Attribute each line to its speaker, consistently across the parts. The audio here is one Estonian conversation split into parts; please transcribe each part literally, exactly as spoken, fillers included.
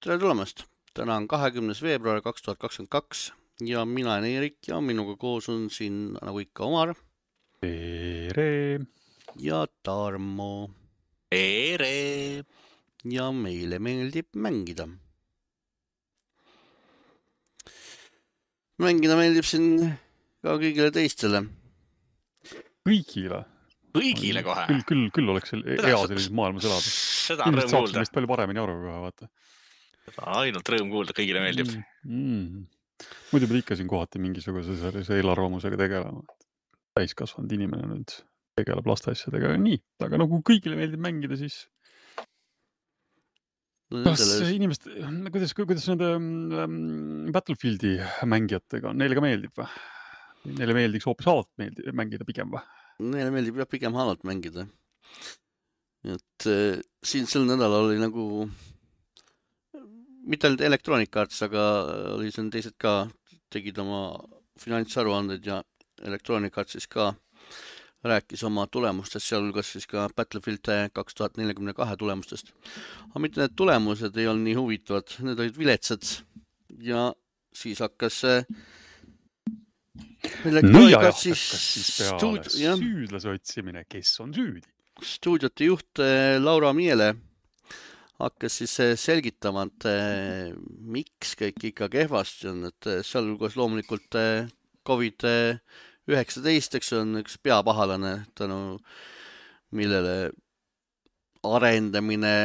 Speaker 1: Tere tulemast! Täna on kahekümnes veebruar kaks tuhat kakskümmend kaks ja mina olen Eerik ja minuga koos on siin nagu ikka Omar
Speaker 2: Tere!
Speaker 1: ja Tarmo
Speaker 3: Tere!
Speaker 1: ja meile meeldib mängida. Mängida meeldib siin ka kõigile teistele.
Speaker 2: Kõigile?
Speaker 3: Kõigile kohe?
Speaker 2: Küll, küll, küll oleks hea sellises maailmas elada.
Speaker 3: Seda on rõõm kuulda.
Speaker 2: Saaks meist palju paremini aru kohe, vaata.
Speaker 3: Seda on ainult rõõm kuulda, kõigile meeldib.
Speaker 2: Mm, mm. Muidu pead ikka siin kohati mingisuguse sellise eelarvamusega tegelema. Täiskasvanud inimene nüüd tegeleb laste asjadega. Nii, aga nagu kõigile meeldib mängida, siis kas inimest, kuidas, kuidas nende um, Battlefieldi mängijatega on? Neile ka meeldib või? Neile meeldiks hoopis halvalt meeldib, mängida pigem või?
Speaker 1: Neile meeldib jah pigem halvalt mängida. Et äh, siin sel nädalal oli nagu mitte ainult Electronic Arts, aga oli siin teised ka, tegid oma finantsaruanded ja Electronic Arts siis ka rääkis oma tulemustest, sealhulgas siis ka Battlefield kaks tuhat nelikümmend kaks tulemustest. Aga mitte need tulemused ei olnud nii huvitavad, need olid viletsad ja siis hakkas
Speaker 2: no ja hakkas siis peale stuud... süüdlase otsimine, kes on süüdi.
Speaker 1: Stuudiote juht Laura Miele hakkas siis selgitama, et miks kõik ikka kehvasti on, et sealhulgas loomulikult Covid üheksateist, eks on üks peapahalane, tänu millele arendamine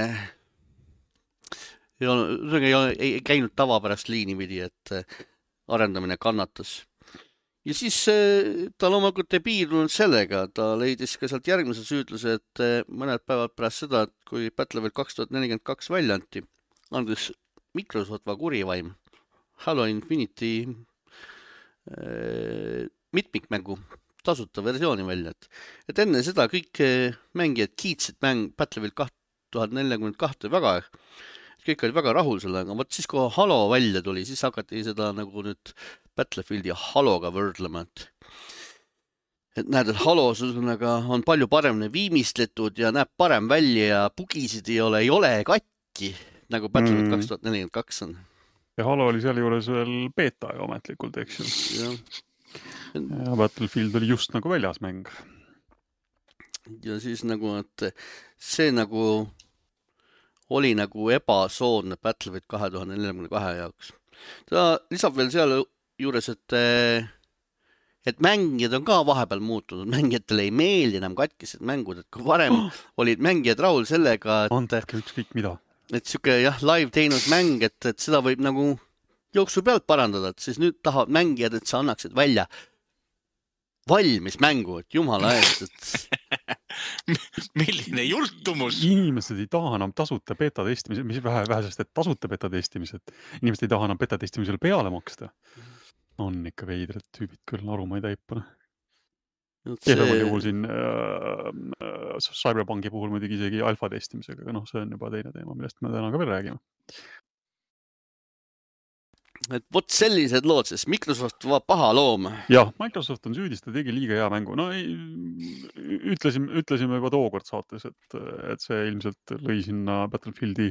Speaker 1: ei, olnud, ei, ei käinud tavapärast liini pidi, et arendamine kannatas. Ja siis ta loomulikult ei piirdunud sellega, ta leidis ka sealt järgmise süüdluse, et mõned päevad pärast seda, et kui Battlefield kaks tuhat nelikümmend kaks välja anti, andis Microsoft va kurivaim Halo Infinity äh, mitmikmängu tasuta versiooni välja. Et, et enne seda kõik mängijad kiitsid mäng Battlefield kaks tuhat nelikümmend kaks väga, kõik oli väga rahul sellega, aga siis kui Halo välja tuli, siis hakati seda nagu nüüd Battlefieldi ja Haloga võrdlema, et, et näed, et Halo on palju paremini viimistletud ja näeb parem välja ja bugisid ei ole, ei ole katki, nagu Battlefield kaks tuhat nelikümmend kaks on.
Speaker 2: Ja Halo oli seal juures veel beeta ja ametlikult, eks ju.
Speaker 1: Ja.
Speaker 2: ja Battlefield oli just nagu väljas mäng.
Speaker 1: Ja siis nagu, et see nagu oli nagu ebasoodne Battlefield kahe tuhande nelikümmend kaks jaoks. Ta lisab veel seal juures, et, et mängijad on ka vahepeal muutunud. Mängijatele ei meeldi enam katkised mängud, et kui varem oh. olid mängijad rahul sellega, et,
Speaker 2: Andke ükskõik mida.
Speaker 1: Et siuke jah, live teinud mäng, et, et seda võib nagu jooksu pealt parandada, et siis nüüd tahavad mängijad, et sa annaksid välja valmis mängu, et jumala eest, et
Speaker 3: milline jultumus.
Speaker 2: Inimesed ei taha enam tasuta beta testimised, mis vähe, vähe sest, et tasuta beta testimised. Inimesed ei taha enam beta testimisele peale maksta. On ikka veidred tüübid küll, aru ma ei täipane. Kehvemal juhul siin äh, Cyberpunki puhul muidugi isegi alfa testimisega, aga noh, see on juba teine teema, millest me täna ka veel räägime.
Speaker 1: Et vot sellised lood, sest Microsoft va paha loom.
Speaker 2: Jah, Microsoft on süüdis, ta tegi liiga hea mängu. No ei, ütlesime, ütlesime juba tookord saates, et, et see ilmselt lõi sinna Battlefieldi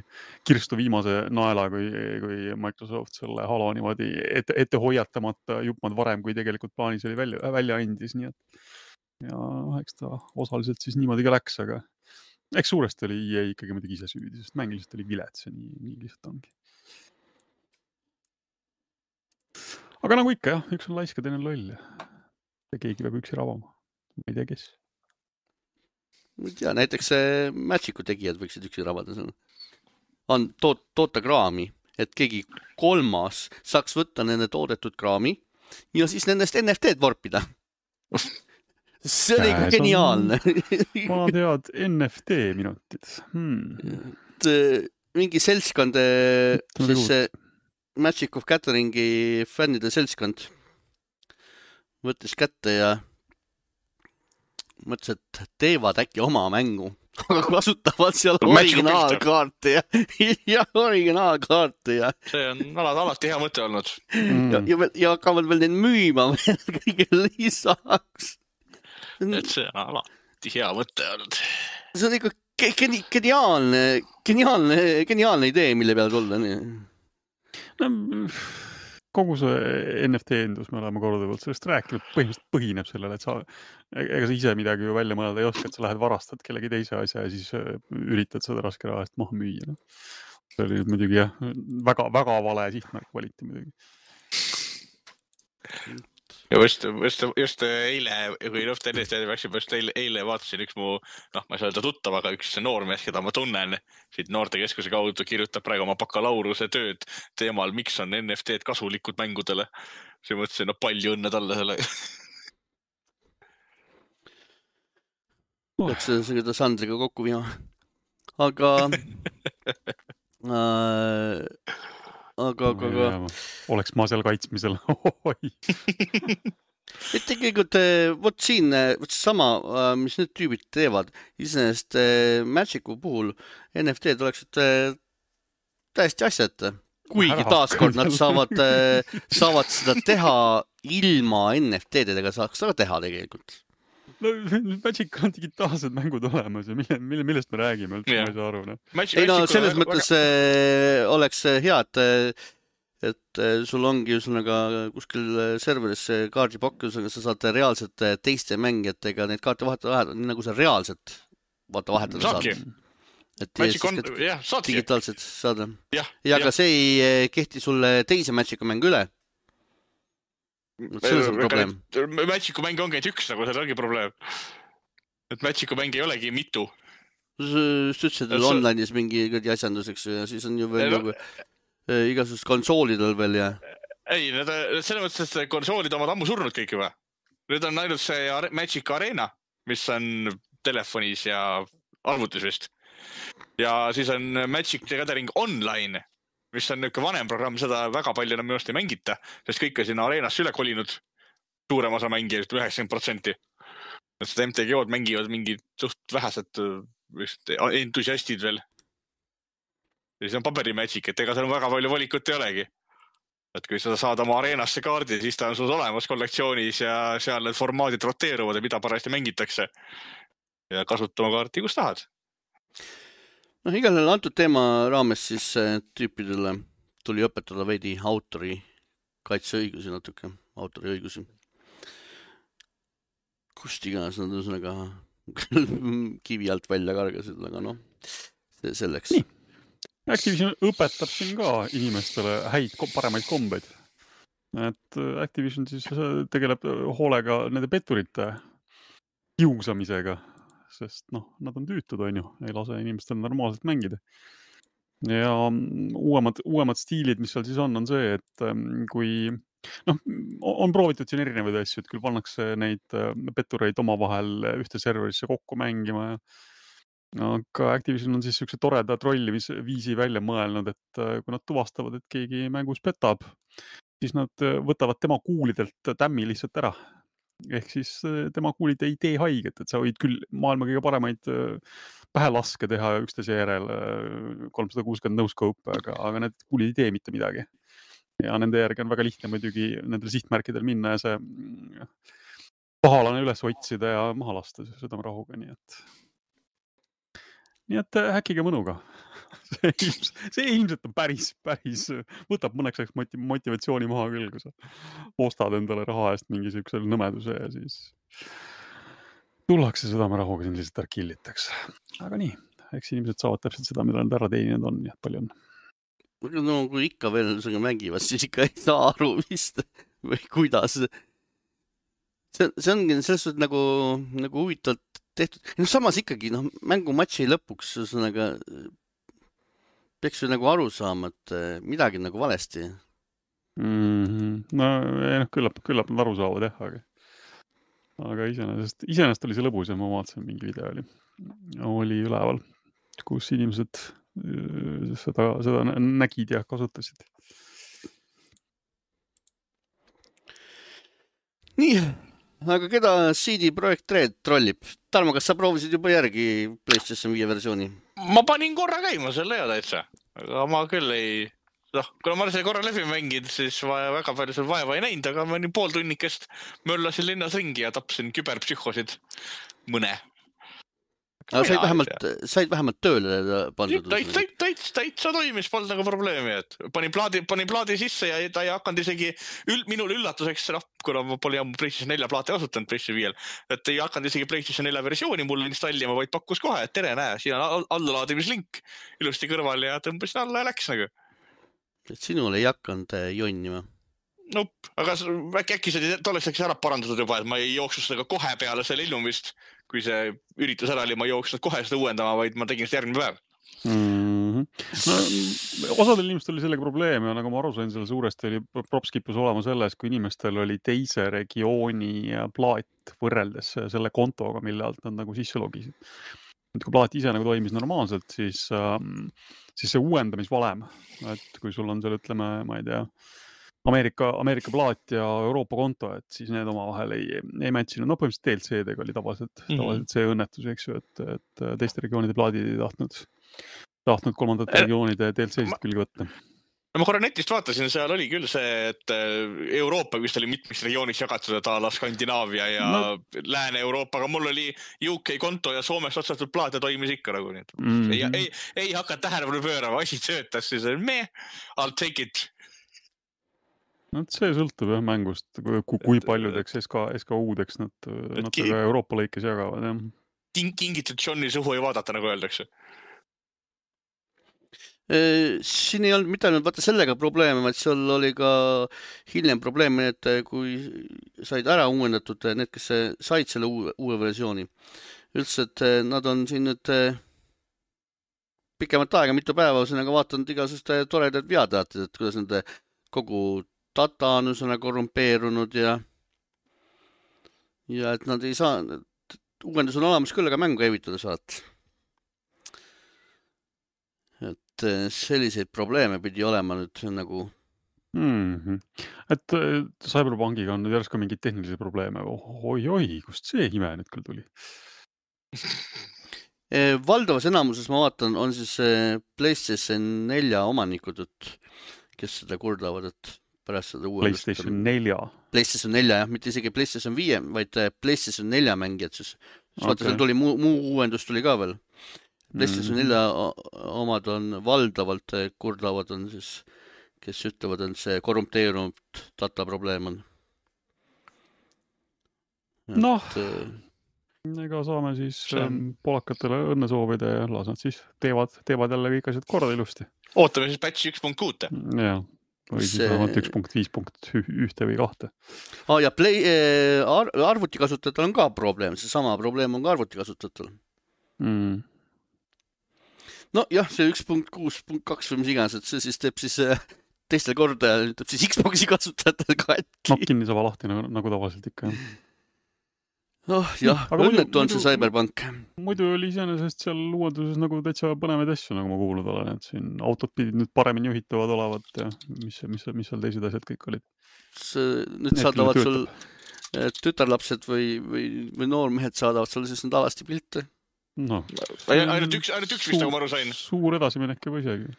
Speaker 2: kirstu viimase naela, kui, kui Microsoft selle Halo niimoodi ette, ette hoiatamata jupmad varem, kui tegelikult plaanis oli välja, välja andis. Nii et, ja eks ta osaliselt siis niimoodi ka läks, aga eks suuresti oli E A ikkagi muidugi ise süüdi, sest mäng lihtsalt oli vilets ja nii, nii lihtsalt ongi. Aga nagu ikka jah, üks on laiska, teine on loll. Ja keegi peab üksi rabama. Ma ei tea, kes.
Speaker 1: Ja näiteks Magicu tegijad võiksid üksi rabada. On toot, toota kraami, et keegi kolmas saaks võtta nende toodetud kraami ja siis nendest N F T-d vorpida. See oli ikka geniaalne.
Speaker 2: Ma tead N F T minutid. Hmm.
Speaker 1: Et, mingi seltskond, siis see Magic of Gatheringi fännide seltskond võttis kätte ja mõtles, et teevad äkki oma mängu, aga kasutavad seal originaalkaarte ja, ja originaalkaarte ja
Speaker 3: see on alati, alati hea mõte olnud.
Speaker 1: Mm. Ja, ja, ja hakkavad veel neid müüma kõige lisaks.
Speaker 3: Et see on alati hea mõte olnud.
Speaker 1: See on ikka geniaalne, geniaalne, geniaalne idee, mille peal tulla.
Speaker 2: No, kogu see N F T endus, me oleme korduvalt sellest rääkinud, põhimõtteliselt põhineb sellele, et sa, ega sa ise midagi ju välja mõelda ei oska, et sa lähed varastad kellegi teise asja ja siis üritad seda raske raha eest maha müüa. No. See oli muidugi jah, väga, väga vale sihtmärk valiti muidugi.
Speaker 3: Ja just, just, just eile, kui N F T N-ist läksime, just eile, eile vaatasin üks mu, noh, ma ei saa öelda tuttav, aga üks noormees, keda ma tunnen, siit noortekeskuse kaudu kirjutab praegu oma bakalaureuse tööd teemal, miks on N F T-d kasulikud mängudele. See mõtlesin, no palju õnne talle selle.
Speaker 1: Peaks seda Sandriga kokku viima. Aga... äh... Aga, aga, aga...
Speaker 2: Oleks ma seal kaitsmisel.
Speaker 1: Et tegelikult, võt siin, võt sama, mis need tüübid teevad, iseenesest Magicu puhul N F T-d oleksid täiesti asjad. Kuigi taaskord nad saavad, saavad seda teha ilma N F T-dega, saaks seda teha tegelikult.
Speaker 2: No, Magic on digitaalsed mängud olemas ja mille, mille, millest me räägime, üldse yeah. Ma ei saa aru. No.
Speaker 1: Magic, ei no, selles väga, mõttes väga... oleks hea, et, et sul ongi üsnaga kuskil serveris kaardipakkus, aga sa saad reaalselt teiste mängijatega neid kaarte vahetada, nii nagu sa reaalselt vaata vahetada
Speaker 3: saadki.
Speaker 1: Saad. Et
Speaker 3: Magic on, jah, saadki.
Speaker 1: Digitaalselt saada.
Speaker 3: Ja,
Speaker 1: ja aga see ei kehti sulle teise Magicu mängu üle. See on see probleem.
Speaker 3: Magicu mäng ongi ainult üks, nagu seal ongi probleem. Et Magicu mäng ei olegi mitu.
Speaker 1: Sa ütlesid online'is mingi asjanduseks ja siis on ju veel no, nagu äh, igasugust konsoolidel veel ja...
Speaker 3: Ei, need, selles mõttes, et konsoolid omad ammu surnud kõik juba. Nüüd on ainult see Magic Arena, mis on telefonis ja arvutis vist. Ja siis on Magic the Gathering Online, mis on niuke vanem programm, seda väga palju enam minust ei mängita, sest kõik on sinna areenasse üle kolinud, suurem osa mängijad, üheksakümmend protsenti. Seda M T G O-d mängivad mingid suht vähesed entusiastid veel. Ja siis on paberi Magic, et ega seal väga palju valikut ei olegi. Et kui sa saad oma areenasse kaardi, siis ta on sul olemas kollektsioonis ja seal need formaadid roteeruvad ja mida parajasti mängitakse. Ja kasutama kaarti, kus tahad.
Speaker 1: No igal antud teema raames siis tüüpidele tuli õpetada veidi autori kaitseõigusi natuke, autori õigusi. Kust iganes nad üsnaga kivi alt välja kargasid, aga noh, selleks.
Speaker 2: Nii. Activision õpetab siin ka inimestele häid, paremaid kombeid. Et Activision siis tegeleb hoolega nende petturite kiusamisega. Sest noh, nad on tüütud, on ju, ei lase inimestel normaalselt mängida. Ja uuemad, uuemad stiilid, mis seal siis on, on see, et kui noh, on proovitud siin erinevaid asju, et küll pannakse neid pettureid omavahel ühte serverisse kokku mängima. Aga Activision on siis üks toreda trollimisviisi välja mõelnud, et kui nad tuvastavad, et keegi mängus petab, siis nad võtavad tema kuulidelt tämmi lihtsalt ära. Ehk siis tema kuulid ei tee haiget, et sa võid küll maailma kõige paremaid pähelaske teha üksteise järel kolmsada kuuskümmend no-scope, aga, aga need kuulid ei tee mitte midagi. Ja nende järgi on väga lihtne muidugi nendel sihtmärkidel minna ja see pahalane üles otsida ja maha lasta seda rahuga, nii et nii et häkkiga mõnuga. See ilmselt, see ilmselt on päris, päris, võtab mõneks ajaks motivatsiooni maha küll, kui sa ostad endale raha eest mingi sihukesel nõmeduse ja siis tullakse südame rahuga siin lihtsalt ära killitakse. Aga nii, eks inimesed saavad täpselt seda, mida nad ära teeninud on, nii et palju on.
Speaker 1: No kui ikka veel sellega mängivad, siis ikka ei saa aru vist või kuidas. See, see ongi selles suhtes nagu, nagu huvitavalt tehtud. No samas ikkagi, noh, mängumatši lõpuks üsnaga peaks ju nagu aru saama, et midagi nagu valesti.
Speaker 2: Mm-hmm. No, ei, noh, küllap, küllap nad aru saavad, jah, aga, aga iseenesest, iseenesest oli see lõbus ja ma vaatasin mingi video oli, oli üleval, kus inimesed seda, seda nägid ja kasutasid. Nii,
Speaker 1: aga keda C D Projekt Red trollib? Tarmo, kas sa proovisid juba järgi PlayStation viie versiooni?
Speaker 3: Ma panin korra käima selle ja täitsa, aga ma küll ei... noh, kuna ma olen selle korra läbi mängid, siis vaja, väga palju seal vaeva ei näinud, aga ma nii pool tunnikest möllasin linnas ringi ja tapsin küberpsühhosid mõne.
Speaker 1: aga said vähemalt, said vähemalt tööle pandud.
Speaker 3: Täitsa, täitsa, täitsa toimis, polnud nagu probleemi, et panin plaadi, panin plaadi sisse ja ta ei hakanud isegi ül, minul üllatuseks, noh, kuna ma pole ammu PlayStation nelja plaati kasutanud PlayStation viiel, et ei hakanud isegi PlayStation nelja versiooni mulle installima, vaid pakkus kohe, et tere, näe, siin on allalaadimislink ilusti kõrval ja tõmbasin alla ja läks nagu.
Speaker 1: Et sinul ei hakanud jonnima.
Speaker 3: Nope, aga äkki, äkki see tolleks äkki ära parandatud juba, et ma ei jooksus seda kohe peale selle illumist, kui see üritus ära oli, ma ei jooksnud kohe seda uuendama, vaid ma tegin seda järgmine päev.
Speaker 2: Mm-hmm. No, osadel inimestel oli sellega probleem ja nagu ma aru sain, selle suuresti oli propskipus olema selles, kui inimestel oli teise regiooni plaat võrreldes selle kontoga, mille alt nad nagu sisse logisid. Kui plaat ise nagu toimis normaalselt, siis, siis see uuendamisvalem, et kui sul on seal, ütleme, ma ei tea, Ameerika, Ameerika plaat ja Euroopa konto, et siis need omavahel ei, ei matchinud. No põhimõtteliselt D L C-dega oli tavaliselt, mm-hmm. tavaliselt see õnnetus, eks ju, et, et teiste regioonide plaadid ei tahtnud, tahtnud kolmandate regioonide D L C-sid külge võtta.
Speaker 3: Ma korra netist vaatasin, seal oli küll see, et Euroopa vist oli mitmeks regiooniks jagatud, et ala Skandinaavia ja no. Lääne-Euroopa, aga mul oli U K konto ja Soomest otsatud plaat ja toimis ikka nagu. Mm-hmm. Ei, ei, ei hakka tähelepanu pöörama, asi töötas, siis me, I'll take it.
Speaker 2: No, see sõltub jah mängust, kui, kui paljudeks S K, S K U-deks nad, nad ki... Euroopa lõikes jagavad. Jah.
Speaker 3: Kingitud Johni suhu ei vaadata, nagu öeldakse.
Speaker 1: Siin ei olnud mitte ainult vaata sellega probleeme, vaid seal oli ka hiljem probleemi, et kui said ära uuendatud need, kes said selle uue, uue versiooni. Üldse, et nad on siin nüüd pikemat aega, mitu päeva sinnaga vaatanud igasust toredad veateatid, et kuidas nende kogu data on üsna korrumpeerunud ja ja et nad ei saa, uuendus on olemas küll, aga mängu käivitada saad. Et selliseid probleeme pidi olema nüüd nagu
Speaker 2: mm-hmm. Et Cyberpunkiga on nüüd järsku mingid tehnilisi probleeme. Oi-oi, kust see ime nüüd küll tuli?
Speaker 1: Valdavas enamuses ma vaatan, on siis PlayStation nelja omanikud, kes seda kurdavad, et pärast seda uuendust.
Speaker 2: PlayStation nelja.
Speaker 1: PlayStation nelja, jah, mitte isegi PlayStation viie, vaid PlayStation nelja mängijad siis. Okay. Vaata, seal tuli muu, muu uuendus tuli ka veel. PlayStation nelja omad on valdavalt kurdavad on siis, kes ütlevad, et see korrumteerunud data probleem on.
Speaker 2: Noh, ega saame siis on... polakatele õnne soovida ja las nad siis teevad, teevad jälle kõik asjad korda ilusti.
Speaker 3: Ootame siis patch üks punkt kuus.
Speaker 2: Jah. Või siis see... vähemalt üks punkt viis punkt üks või kahte.
Speaker 1: Ah, ja play, ar arvuti kasutajatel on ka probleem. See sama probleem on ka arvuti kasutajatel.
Speaker 2: Mm.
Speaker 1: No jah, see üks punkt kuus punkt kaks või mis iganes, et see siis teeb siis teistel korda ja teeb siis Xboxi kasutajatel ka ätki.
Speaker 2: No kinni saba lahti nagu, nagu tavaliselt ikka.
Speaker 1: Oh jah, õnnetu on see Cyberpunk.
Speaker 2: Muidu oli iseenesest seal uuenduses nagu täitsa põnevaid asju, nagu ma kuulnud olen, et siin autod pidid nüüd paremini juhitavad olevat ja mis, mis, mis seal teised asjad kõik olid.
Speaker 1: See, nüüd saadavad sul tütarlapsed või, või, või noormehed saadavad sul siis need alasti pilte.
Speaker 2: No,
Speaker 3: ainult üks, ainult üks vist, nagu ma aru sain.
Speaker 2: Suur edasiminek juba isegi.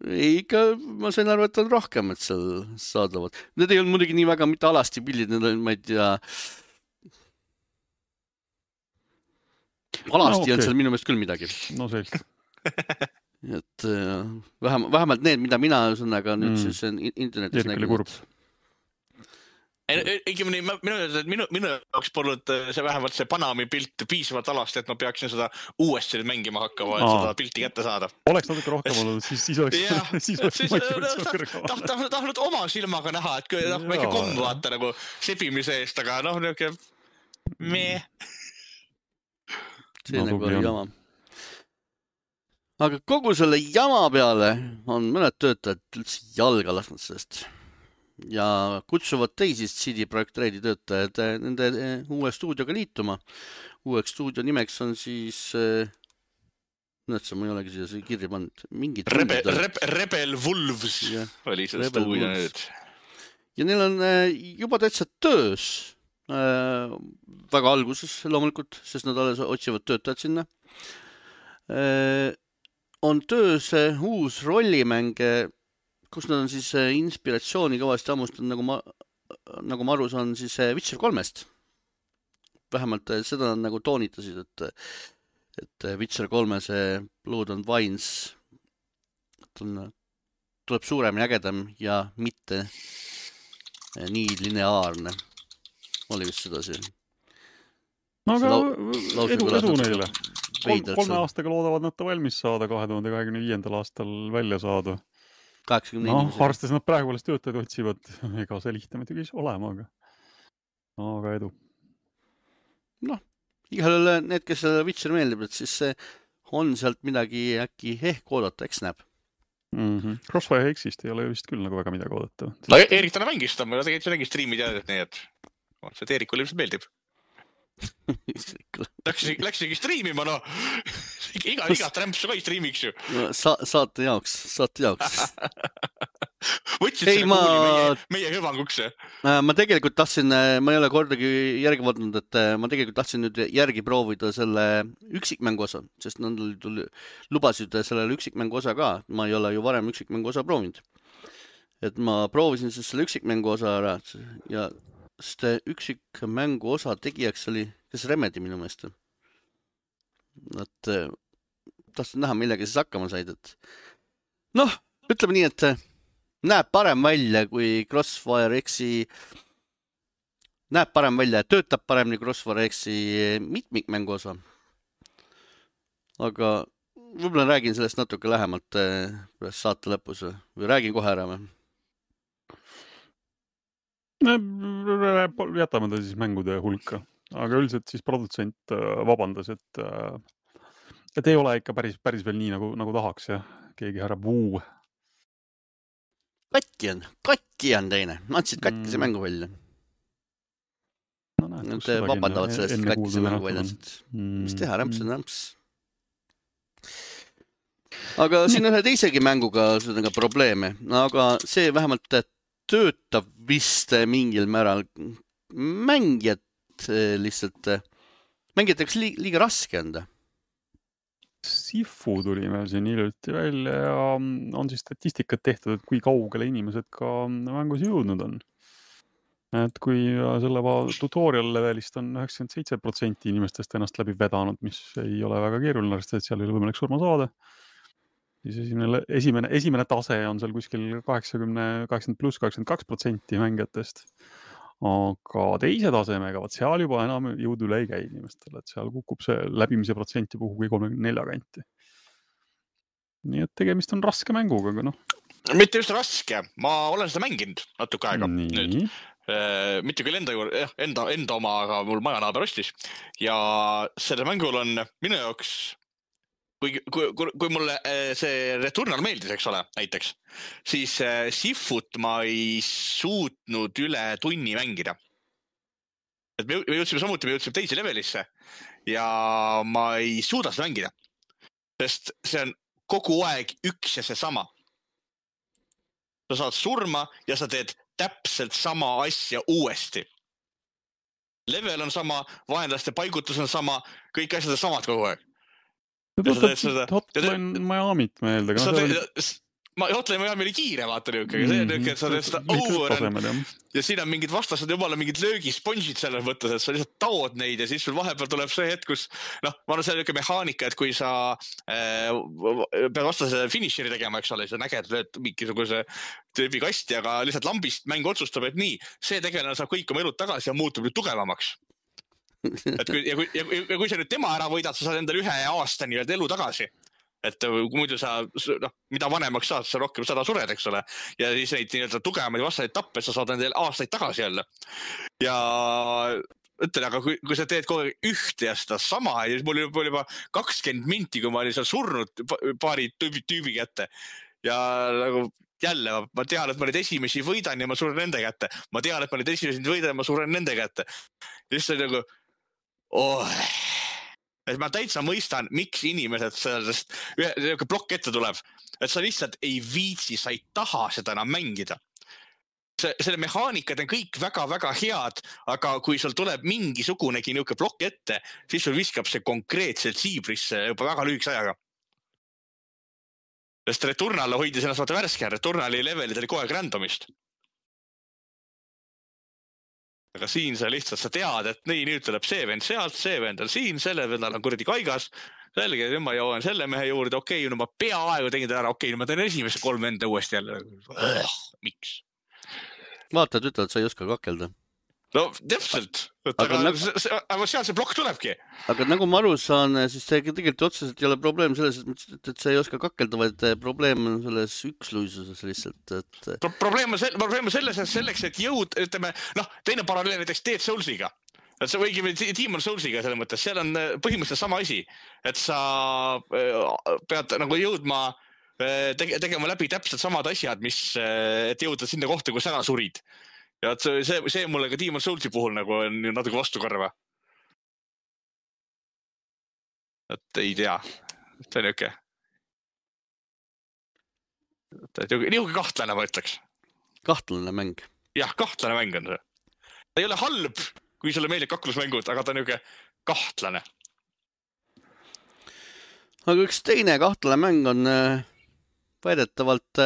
Speaker 1: Ei, ikka ma sain arvu, et on rohkem, et seal saadavad. Need ei olnud muidugi nii väga mitte alasti pildid, need on, ma ei tea, alasti no, okay. On seal minu meelest küll midagi.
Speaker 2: No selge.
Speaker 1: Et vähem, vähemalt need, mida mina sõnaga nüüd mm. siis internetis nägin.
Speaker 3: Õigemini, minu, minu, minu jaoks polnud see vähemalt see Panami pilt piisavalt alasti, et ma peaksin seda uuesti mängima hakkama, et Aa. seda pilti kätte saada.
Speaker 2: Oleks natuke rohkem olnud, siis, siis oleks,
Speaker 3: ja,
Speaker 2: siis oleks motivatsioon kõrgema.
Speaker 3: Tahtnud taht, oma silmaga näha, et kui noh, väike komm vaata nagu sepimise eest, aga noh, niuke mee.
Speaker 1: See no, nagu oli jama. Aga kogu selle jama peale on mõned töötajad üldse jalga lasknud sellest. Ja kutsuvad teisi C D Projekt Redi töötajad nende uue stuudioga liituma. Uueks stuudio nimeks on siis, näed, ma ei olegi siia kirja pannud.
Speaker 3: Rebe, reb, Rebel Wolves ja, oli see Rebel stuudio nüüd.
Speaker 1: Ja neil on juba täitsa töös. Äh, väga alguses loomulikult, sest nad alles otsivad töötajad sinna. Äh, on töös uus rollimänge, kus nad on siis inspiratsiooni kõvasti ammustanud, nagu ma, nagu ma aru saan, siis Witcher kolmest. Vähemalt seda nad nagu toonitasid, et, et Witcher kolme see Blood and Wines tuleb suuremini ägedam ja mitte nii lineaarne. Oli vist seda see.
Speaker 2: No aga edu, edu neile.
Speaker 1: Veidrat,
Speaker 2: kolme aastaga loodavad nad ta valmis saada, kahe tuhande kahekümne viiendal aastal välja saada.
Speaker 1: kaheksakümne
Speaker 2: no,
Speaker 1: inimesega.
Speaker 2: Arvestades nad praegu alles töötajaid otsivad, ega see lihtne muidugi olema, aga, aga edu.
Speaker 1: Noh, igal need, kes Witcher meeldib, et siis see on sealt midagi äkki ehk oodata, eks näeb.
Speaker 2: Mm-hmm. Crossfire X-ist ei ole vist küll nagu väga midagi oodata.
Speaker 3: No Eerik täna mängis ta, ma tegelikult see nägin striimi teadet, nii et see Eerikule ilmselt meeldib. Läks, läks isegi striimima, no iga, iga trämpsu ka ei striimiks ju.
Speaker 1: No, sa, saate jaoks, saate jaoks.
Speaker 3: Võtsid selle ma... kuuli meie, meie hüvanguks.
Speaker 1: Ma tegelikult tahtsin, ma ei ole kordagi järgi vaadanud, et ma tegelikult tahtsin nüüd järgi proovida selle üksikmängu osa, sest nad tuli, lubasid sellele üksikmängu osa ka. Ma ei ole ju varem üksikmängu osa proovinud. Et ma proovisin siis selle üksikmängu osa ära ja sest üksikmängu osa tegijaks oli kes Remedi minu meelest. Et tahtsin näha, millega siis hakkama said. Et... noh, ütleme nii, et näeb parem välja kui Crossfire X-i, näeb parem välja, töötab paremini Crossfire X-i mitmikmängu osa. Aga võib-olla räägin sellest natuke lähemalt saate lõpus või räägin kohe ära või?
Speaker 2: Jätame ta siis mängude hulka, aga üldiselt siis produtsent vabandas, et, et ei ole ikka päris, päris veel nii, nagu, nagu tahaks ja keegi härra Vuu.
Speaker 1: Katki on, katki on teine. Andsid katkise mm. mängu välja.
Speaker 2: No, näed,
Speaker 1: Nad vabandavad sellest, et katkise mängu välja.
Speaker 2: Mm.
Speaker 1: Mis teha, rämps on rämps. Aga siin ühe teisegi mänguga on probleeme, aga see vähemalt töötab vist mingil määral mängijad lihtsalt, mängijateks li liiga raske anda.
Speaker 2: Sifu tuli meil siin hiljuti välja ja on siis statistikat tehtud, et kui kaugele inimesed ka mängus jõudnud on. Et kui selle tutorial levelist on üheksakümmend seitse protsenti inimestest ennast läbi vedanud, mis ei ole väga keeruline, et seal ei ole võimalik surma saada. Siis esimene, esimene, esimene tase on seal kuskil kaheksakümmend, kaheksakümmend pluss kaheksakümmend kaks protsenti mängijatest. Aga teise tasemega, vaat seal juba enam jõud üle ei käi inimestele, et seal kukub see läbimise protsenti puhul kui kolmekümne nelja kanti. Nii et tegemist on raske mänguga, aga noh.
Speaker 3: Mitte just raske, ma olen seda mänginud natuke aega
Speaker 2: Nii.
Speaker 3: nüüd. Mitte küll enda, juurde, enda, enda oma, aga mul majanaaber ostis. Ja selle mängul on minu jaoks Kui, kui, kui mulle see Returnal meeldis, eks ole, näiteks, siis Sifut ma ei suutnud üle tunni mängida. Et me jõudsime samuti, me jõudsime teise levelisse ja ma ei suuda seda mängida. Sest see on kogu aeg üks ja see sama. Sa saad surma ja sa teed täpselt sama asja uuesti. Level on sama, vaenlaste paigutus on sama, kõik asjad on samad kogu aeg.
Speaker 2: Hotline Miami't meelde.
Speaker 3: Hotline Miami oli kiire, vaata niuke, see on niuke, et sa teed seda over on, ja siin on mingid vastased jumala mingid löögispongid selles mõttes, et sa lihtsalt taod neid ja siis sul vahepeal tuleb see hetk, kus noh, ma olen see niuke mehaanika, et kui sa äh, pead vastasele finisheri tegema, eks ole, siis on äge, et lööd mingisuguse tüübi kasti, aga lihtsalt lambist mäng otsustab, et nii, see tegelane saab kõik oma elud tagasi ja muutub nüüd tugevamaks. Et kui, ja, kui, ja, ja kui sa nüüd tema ära võidad, sa saad endale ühe aasta nii elu tagasi. Et kui muidu sa, noh, mida vanemaks saad, sa rohkem sada sured, eks ole. Ja siis neid nii-öelda tugevamaid vastajaid tappe, sa saad endale aastaid tagasi jälle. Ja ütlen, aga kui, kui sa teed kogu ühte ja seda sama, ja siis mul oli juba kakskümmend minti, kui ma olin seal surnud paari tüübi, tüübi kätte. Ja nagu jälle, ma tean, et ma neid esimesi võidan ja ma suren nende kätte. Ma tean, et ma neid esimesi võidan ja ma suren nende kätte. Ja siis oli nagu Oh. Et ma täitsa mõistan, miks inimesed sellest ühe plokk ette tuleb. Et sa lihtsalt ei viitsi, sa ei taha seda enam mängida. See, selle mehaanikad on kõik väga-väga head, aga kui sul tuleb mingisugunegi niuke plokk ette, siis sul viskab see konkreetselt siibrisse juba väga lühikese ajaga. Sest Returnal hoidis ennast vaata värske, Returnali levelid oli kogu aeg randomist. Aga siin sa lihtsalt, sa tead, et nii nüüd tuleb see vend sealt, see vend on siin, selle vendal on kuradi kaigas, selge, nüüd ma jõuan selle mehe juurde, okei, no ma peaaegu tegin ta ära, okei, no ma teen esimesse kolm enda uuesti jälle. Miks?
Speaker 1: Vaatad, ütled, et sa ei oska kakelda.
Speaker 3: No täpselt, aga, aga, nagu... aga seal see plokk tulebki.
Speaker 1: Aga nagu ma aru saan, siis see tegelikult otseselt ei ole probleem selles, et, et sa ei oska kakelda, vaid probleem on selles üksluisuses lihtsalt. Et...
Speaker 3: Pro probleem, on probleem on selles, et selleks, et jõud, ütleme, noh, teine paralleel näiteks Dead Soulsiga. Et see võigi Demon Soulsiga selles mõttes, seal on põhimõtteliselt sama asi, et sa pead nagu jõudma tege tegema läbi täpselt samad asjad, mis, et jõuda sinna kohta, kus ära surid. Ja see, see, see mulle ka Demon Soulsi puhul nagu on natuke vastukarva. Et ei tea. See on niuke. Niuke kahtlane, ma ütleks.
Speaker 1: Kahtlane mäng.
Speaker 3: Jah, kahtlane mäng on see. Ta ei ole halb, kui sulle meeldib kaklusmängud, aga ta on niuke kahtlane.
Speaker 1: Aga üks teine kahtlane mäng on väidetavalt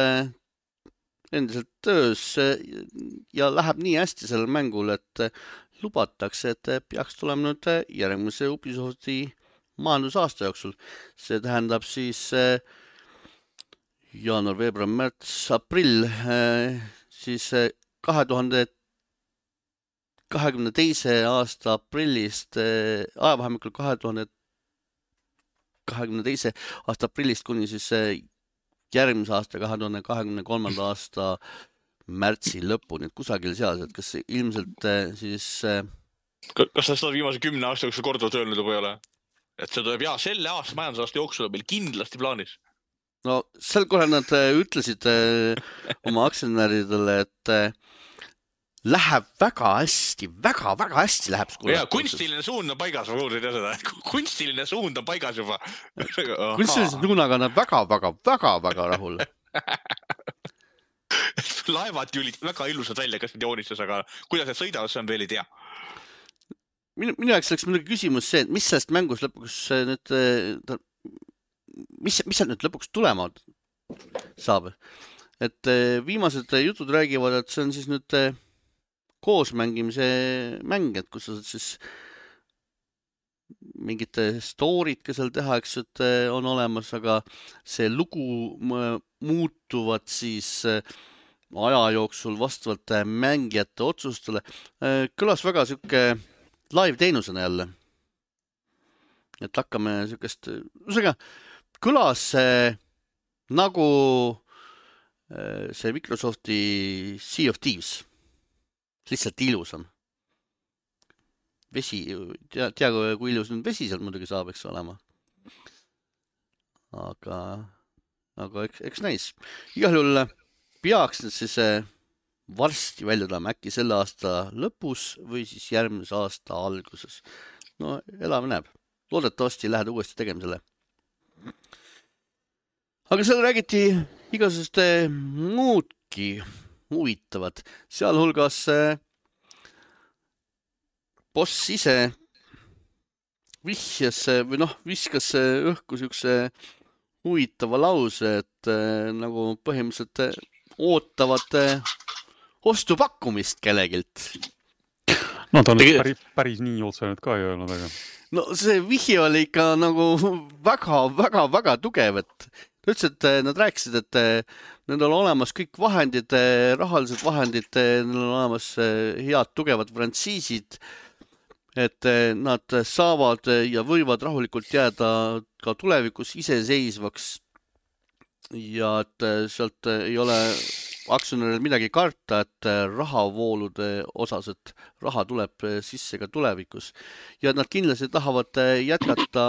Speaker 1: endiselt töös ja läheb nii hästi sellel mängul, et lubatakse, et peaks tulema nüüd järgmise Ubisofti majandusaasta jooksul. See tähendab siis jaanuar, veebruar, märts, aprill, siis kahe tuhande kahekümne teise aasta aprillist, ajavahemikul kahe tuhande kahekümne teise aasta aprillist kuni siis järgmise aasta kahe tuhande kahekümne kolmanda aasta märtsi lõpuni, et kusagil seal, et kas ilmselt siis...
Speaker 3: Kas sa seda viimase kümne aasta jooksul korduvalt öelnud juba ei ole? Et see tuleb, jaa, selle aasta majandusaasta jooksul on meil kindlasti plaanis.
Speaker 1: No sel korral nad ütlesid oma aktsionäridele, et läheb väga hästi, väga, väga hästi läheb.
Speaker 3: Ja, kunstiline suund on paigas, ma kuulsin seda. Kunstiline suund on paigas juba.
Speaker 1: Kunstiline suunaga on väga, väga, väga, väga rahul.
Speaker 3: Laevad julid väga ilusad välja, kas need joonistas, aga kuidas need sõidavad, see on veel ei tea.
Speaker 1: Minu, minu jaoks oleks muidugi küsimus see, et mis sellest mängus lõpuks nüüd, mis, mis sealt nüüd lõpuks tulema saab. Et viimased jutud räägivad, et see on siis nüüd koosmängimise mäng, et kus sa siis mingite storid, kes seal tehakse, et on olemas, aga see lugu muutuvad siis aja jooksul vastavalt mängijate otsustele. Kõlas väga siuke live teenusena jälle. Et hakkame siukest, usega, kõlas see, nagu see Microsofti Sea of Thieves. Lihtsalt ilusam. Vesi, tea, tea kui ilus nüüd vesi seal muidugi saab, eks olema. Aga, aga eks, eks näis. Igal juhul peaks nüüd siis varsti välja tulema äkki selle aasta lõpus või siis järgmise aasta alguses. No elame näeb. Loodetavasti lähed uuesti tegemisele. Aga seal räägiti igasugust muudki huvitavad. Sealhulgas boss ise vihjas või noh, viskas õhku siukse huvitava lause, et nagu põhimõtteliselt ootavad ostupakkumist kellegilt.
Speaker 2: No ta on Tegi... päris, päris nii otsenud ka ei öelnud, aga...
Speaker 1: No see vihje oli ikka nagu väga, väga, väga tugev, et ütles, et nad rääkisid, et nendel on olemas kõik vahendid, rahalised vahendid, neil on olemas head, tugevad frantsiisid, et nad saavad ja võivad rahulikult jääda ka tulevikus iseseisvaks ja et sealt ei ole aktsionäril midagi karta, et rahavoolude osas, et raha tuleb sisse ka tulevikus. Ja nad kindlasti tahavad jätkata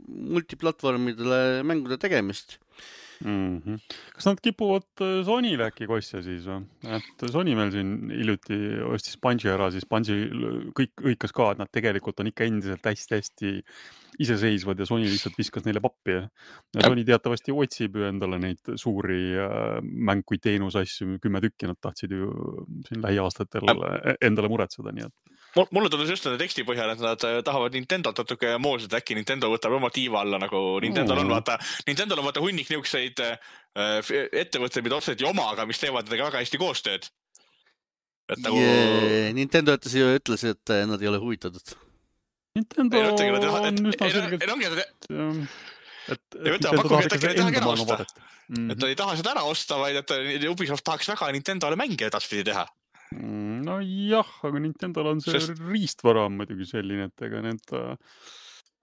Speaker 1: multiplatvormidele mängude tegemist.
Speaker 2: Mm-hmm. Kas nad kipuvad Sonyle äkki kosja siis või? Et Sony meil siin hiljuti ostis Bungi ära, siis Bungi kõik õikas ka, et nad tegelikult on ikka endiselt hästi-hästi iseseisvad ja Sony lihtsalt viskas neile pappi. Ja Sony teatavasti otsib ju endale neid suuri mäng kui teenusasju, kümme tükki nad tahtsid ju siin lähiaastatel endale muretseda, nii et
Speaker 3: mulle tundus just nende teksti põhjal, et nad tahavad Nintendo natuke moosed, äkki Nintendo võtab oma tiiva alla, nagu Nintendo on vaata, Nintendo on vaata hunnik niukseid ettevõtteid, mida otseselt ei oma, aga mis teevad nendega väga hästi koostööd.
Speaker 1: Et nagu... yeah, Nintendo ütles, ütles, et nad ei ole huvitatud.
Speaker 2: Nintendo
Speaker 3: Ei, mõtlengi, nad ei taha-
Speaker 2: on
Speaker 3: et-
Speaker 2: üsna
Speaker 3: ei,
Speaker 2: selgelt,
Speaker 3: ei, ongi, et-
Speaker 2: ähm, et,
Speaker 3: Ei
Speaker 2: et
Speaker 3: võta,
Speaker 2: Nintendo
Speaker 3: pakuge,
Speaker 2: tahab
Speaker 3: et
Speaker 2: ikka
Speaker 3: äkki
Speaker 2: seda
Speaker 3: tahagi
Speaker 2: enda
Speaker 3: ära
Speaker 2: maailma
Speaker 3: osta.
Speaker 2: vaadet. Mhm.
Speaker 3: et ta ei taha seda ära osta, vaid et Ubisoft tahaks väga Nintendole mänge edaspidi teha.
Speaker 2: Mm, no jah, aga Nintendol on see
Speaker 3: Sest-
Speaker 2: riistvara on muidugi selline, et ega need äh,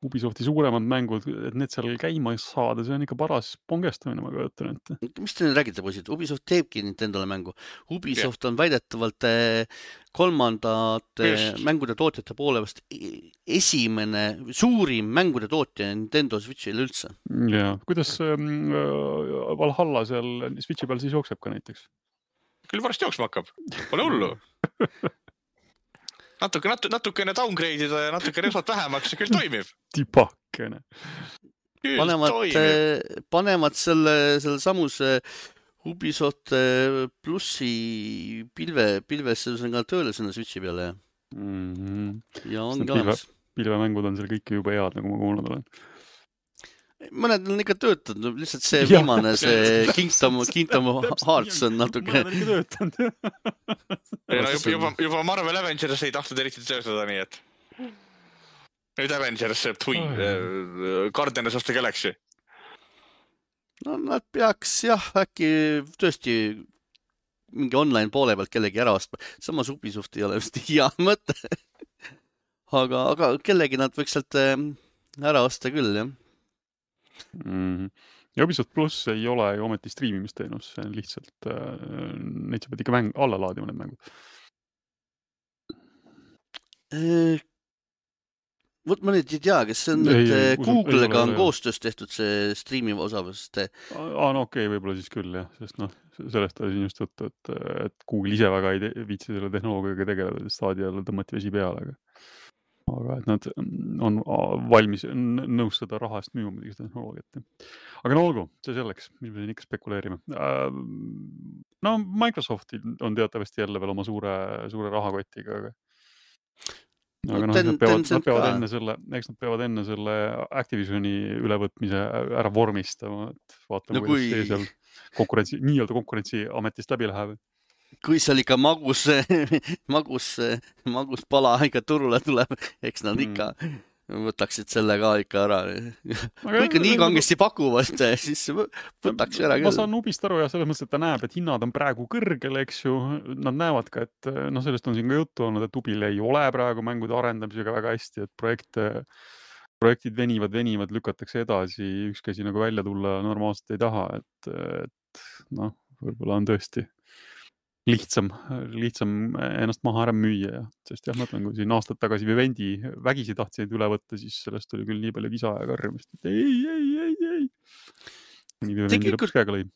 Speaker 2: Ubisofti suuremad mängud, et need seal käima saada, see on ikka paras pongestamine, ma kujutan ette.
Speaker 1: mis te nüüd räägite, poisid? Ubisoft teebki Nintendole mängu. Ubisoft on väidetavalt eh, kolmandate
Speaker 3: Just.
Speaker 1: mängude tootjate poole vast e- esimene suurim mängude tootja Nintendo Switch'il üldse.
Speaker 2: Ja kuidas ähm, äh, Valhalla seal Switchi peal siis jookseb ka näiteks?
Speaker 3: Küll varsti jooksma hakkab. Pole hullu. natuke, natu, natukene downgrade ida ja natuke resot vähemaks ja küll toimib.
Speaker 2: Tipakene.
Speaker 3: Küll
Speaker 1: panevad,
Speaker 3: toimib.
Speaker 1: panevad selle, selle samuse Ubisoft eh, plussi pilve, pilvesse ühesõnaga tööle sinna Switchi peale ja,
Speaker 2: Mm -hmm.
Speaker 1: ja ongi
Speaker 2: pilve-
Speaker 1: olemas.
Speaker 2: Pilvemängud on seal kõik jube head, nagu ma kuulnud olen.
Speaker 1: mõned on ikka töötanud, lihtsalt see
Speaker 2: Jah.
Speaker 1: viimane, see Kingdom, Kingdom Hearts on natuke
Speaker 2: mõned on ikka töötanud.
Speaker 3: Ei, no juba, juba, juba Marvel Avengers ei tahtnud eriti töötada, nii et nüüd Avengers see tui,
Speaker 2: Oh.
Speaker 3: Guardians of the Galaxy.
Speaker 1: no nad peaks jah, äkki tõesti mingi online poole pealt kellegi ära ostma. Samas Ubisoft ei ole vist hea mõte. aga, aga kellegi nad võiks sealt eh, ära osta küll, jah.
Speaker 2: Mm. Ja Ubisoft pluss ei ole ju ometi striimimisteenus, see on lihtsalt, äh, neid sa pead ikka mäng, alla laadima need mängud.
Speaker 1: Eh, vot ma nüüd ei tea, kas see on
Speaker 2: Ei,
Speaker 1: nüüd
Speaker 2: ei,
Speaker 1: eh,
Speaker 2: usun- ei
Speaker 1: Google'ga
Speaker 2: ole,
Speaker 1: on
Speaker 2: ei ole.
Speaker 1: koostöös tehtud see striimiv osa, sest eh,
Speaker 2: Aa, no okei, okay, võib-olla siis küll jah, sest noh, sellest oli siin just juttu, et, et Google ise väga ei te- viitsi selle tehnoloogiaga tegeleda, sest staadiale tõmmati vesi peale, aga aga et nad on valmis n- nõus seda raha eest müüma muidugi seda tehnoloogiat. Aga no olgu, see selleks, mis me siin ikka spekuleerime. No Microsoftil on teatavasti jälle veel oma suure, suure rahakotiga, aga
Speaker 1: No
Speaker 2: aga noh,
Speaker 1: Ten-
Speaker 2: nad peavad,
Speaker 1: Tencent
Speaker 2: nad peavad
Speaker 1: ka.
Speaker 2: enne selle, eks nad peavad enne selle Activisioni ülevõtmise ära vormistama, et vaatame,
Speaker 1: No
Speaker 2: kuidas
Speaker 1: kui-
Speaker 2: see seal konkurentsi, nii-öelda konkurentsiametist läbi läheb.
Speaker 1: kui seal ikka magus, magus, magus pala ikka turule tuleb, eks nad ikka võtaksid selle ka ikka ära. kui ikka nii kangesti pakuvad, siis võtaks ära
Speaker 2: ma
Speaker 1: küll.
Speaker 2: saan Ubist aru ja selles mõttes, et ta näeb, et hinnad on praegu kõrgel, eks ju. Nad näevad ka, et noh, sellest on siin ka juttu olnud, et Ubil ei ole praegu mängude arendamisega väga hästi, et projekte, projektid venivad, venivad, lükatakse edasi, ükski asi nagu välja tulla normaalselt ei taha, et, et noh, võib-olla on tõesti lihtsam, lihtsam ennast maha ära müüa ja, sest jah, ma ütlen, kui siin aastad tagasi Vivendi vägisi tahtsid üle võtta, siis sellest oli küll nii palju kisa ja karjumist, et ei, ei, ei, ei. Nii Vivendi
Speaker 1: Tegelikult-
Speaker 2: lõpuks käega lõi.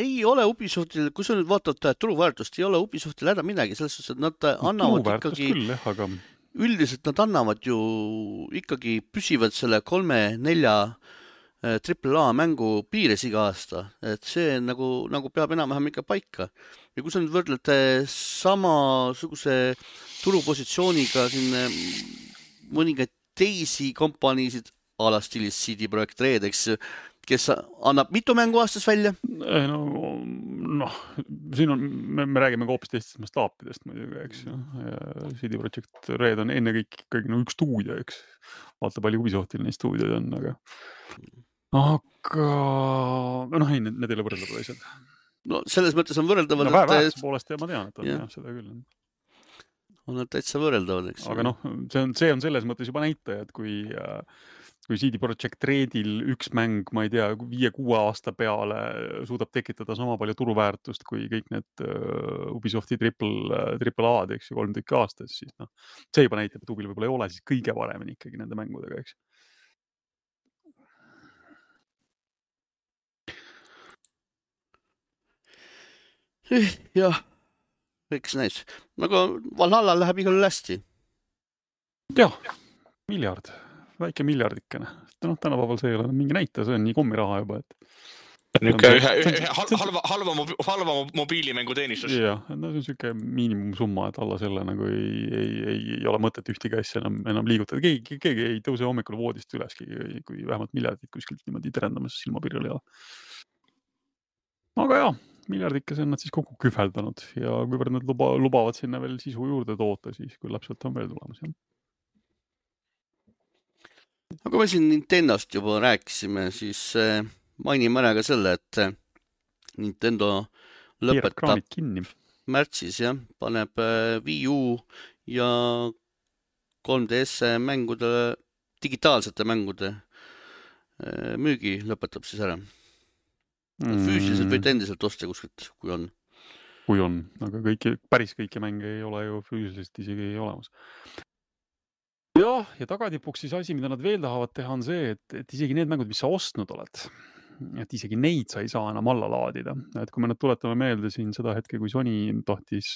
Speaker 1: ei ole Ubisoftil, kui sa nüüd vaatad turuväärtust, ei ole Ubisoftil häda midagi, selles suhtes, et nad annavad
Speaker 2: Turuväärtust
Speaker 1: ikkagi,
Speaker 2: küll, jah, aga
Speaker 1: üldiselt nad annavad ju ikkagi püsivad selle kolme-nelja triple A mängu piires iga aasta, et see nagu, nagu peab enam-vähem ikka paika. Ja kui sa nüüd võrdled samasuguse turupositsiooniga siin eh, mõningaid teisi kompaniisid, a la stiilis C D Projekt Red, eks ju, kes annab mitu mängu aastas välja?
Speaker 2: ei, no, noh, siin on, me, me räägime ka hoopis teistest mastaapidest muidugi, eks ju. Ja C D Projekt Red on enne kõik ikkagi no, üks stuudio, eks. Vaata, palju Ubisoftil neid stuudioid on, aga aga noh, ei, need, need ei ole võrreldavad asjad.
Speaker 1: No selles mõttes on võrreldavad,
Speaker 2: No,
Speaker 1: et
Speaker 2: väärtuse poolest ja ma tean, et on
Speaker 1: jah.
Speaker 2: jah, seda küll.
Speaker 1: on nad täitsa võrreldavad, eks.
Speaker 2: Aga noh, see on, see on selles mõttes juba näitaja, et kui, kui C D Projekt Redil üks mäng, ma ei tea, viie-kuue aasta peale suudab tekitada sama palju turuväärtust kui kõik need uh, Ubisofti triple, triple A-d, eks ju, kolm tükki aastas, siis noh, see juba näitab, et Ubil võib-olla ei ole siis kõige paremini ikkagi nende mängudega, eks.
Speaker 1: jah, eks näis. Aga Valhalla läheb igal juhul hästi.
Speaker 2: jah, miljard, väike miljardikene. No, tänapäeval see ei ole mingi näitaja, see on nii kommiraha juba, et
Speaker 3: Niisugune ühe, ühe, ühe halva, halva, halva mobiilimängu teenistus.
Speaker 2: jah, no see on siuke miinimumsumma, et alla selle nagu ei, ei, ei, ei ole mõtet ühtegi asja enam, enam liigutada. Keegi, keegi ei tõuse hommikul voodist üles, kui vähemalt miljardit kuskilt niimoodi terendamas silmapirjal ei ole. Aga jah, miljardikese on nad siis kokku kühveldanud ja kuivõrd nad luba, lubavad sinna veel sisu juurde toota, siis küll lapselt on veel tulemas. Jah.
Speaker 1: aga me siin Nintendost juba rääkisime, siis mainime ära ka selle, et Nintendo lõpetab
Speaker 2: kraanid kinni.
Speaker 1: märtsis, jah, paneb Wii U ja kolm D S mängude, digitaalsete mängude müügi lõpetab siis ära. Mm. Füüsiliselt võite endiselt osta kuskilt, kui on.
Speaker 2: Kui on, aga kõiki, päris kõiki mänge ei ole ju füüsiliselt isegi olemas. Jah, ja tagatipuks siis asi, mida nad veel tahavad teha, on see, et, et isegi need mängud, mis sa ostnud oled, et isegi neid sa ei saa enam alla laadida. Et kui me nüüd tuletame meelde siin seda hetke, kui Sony tohtis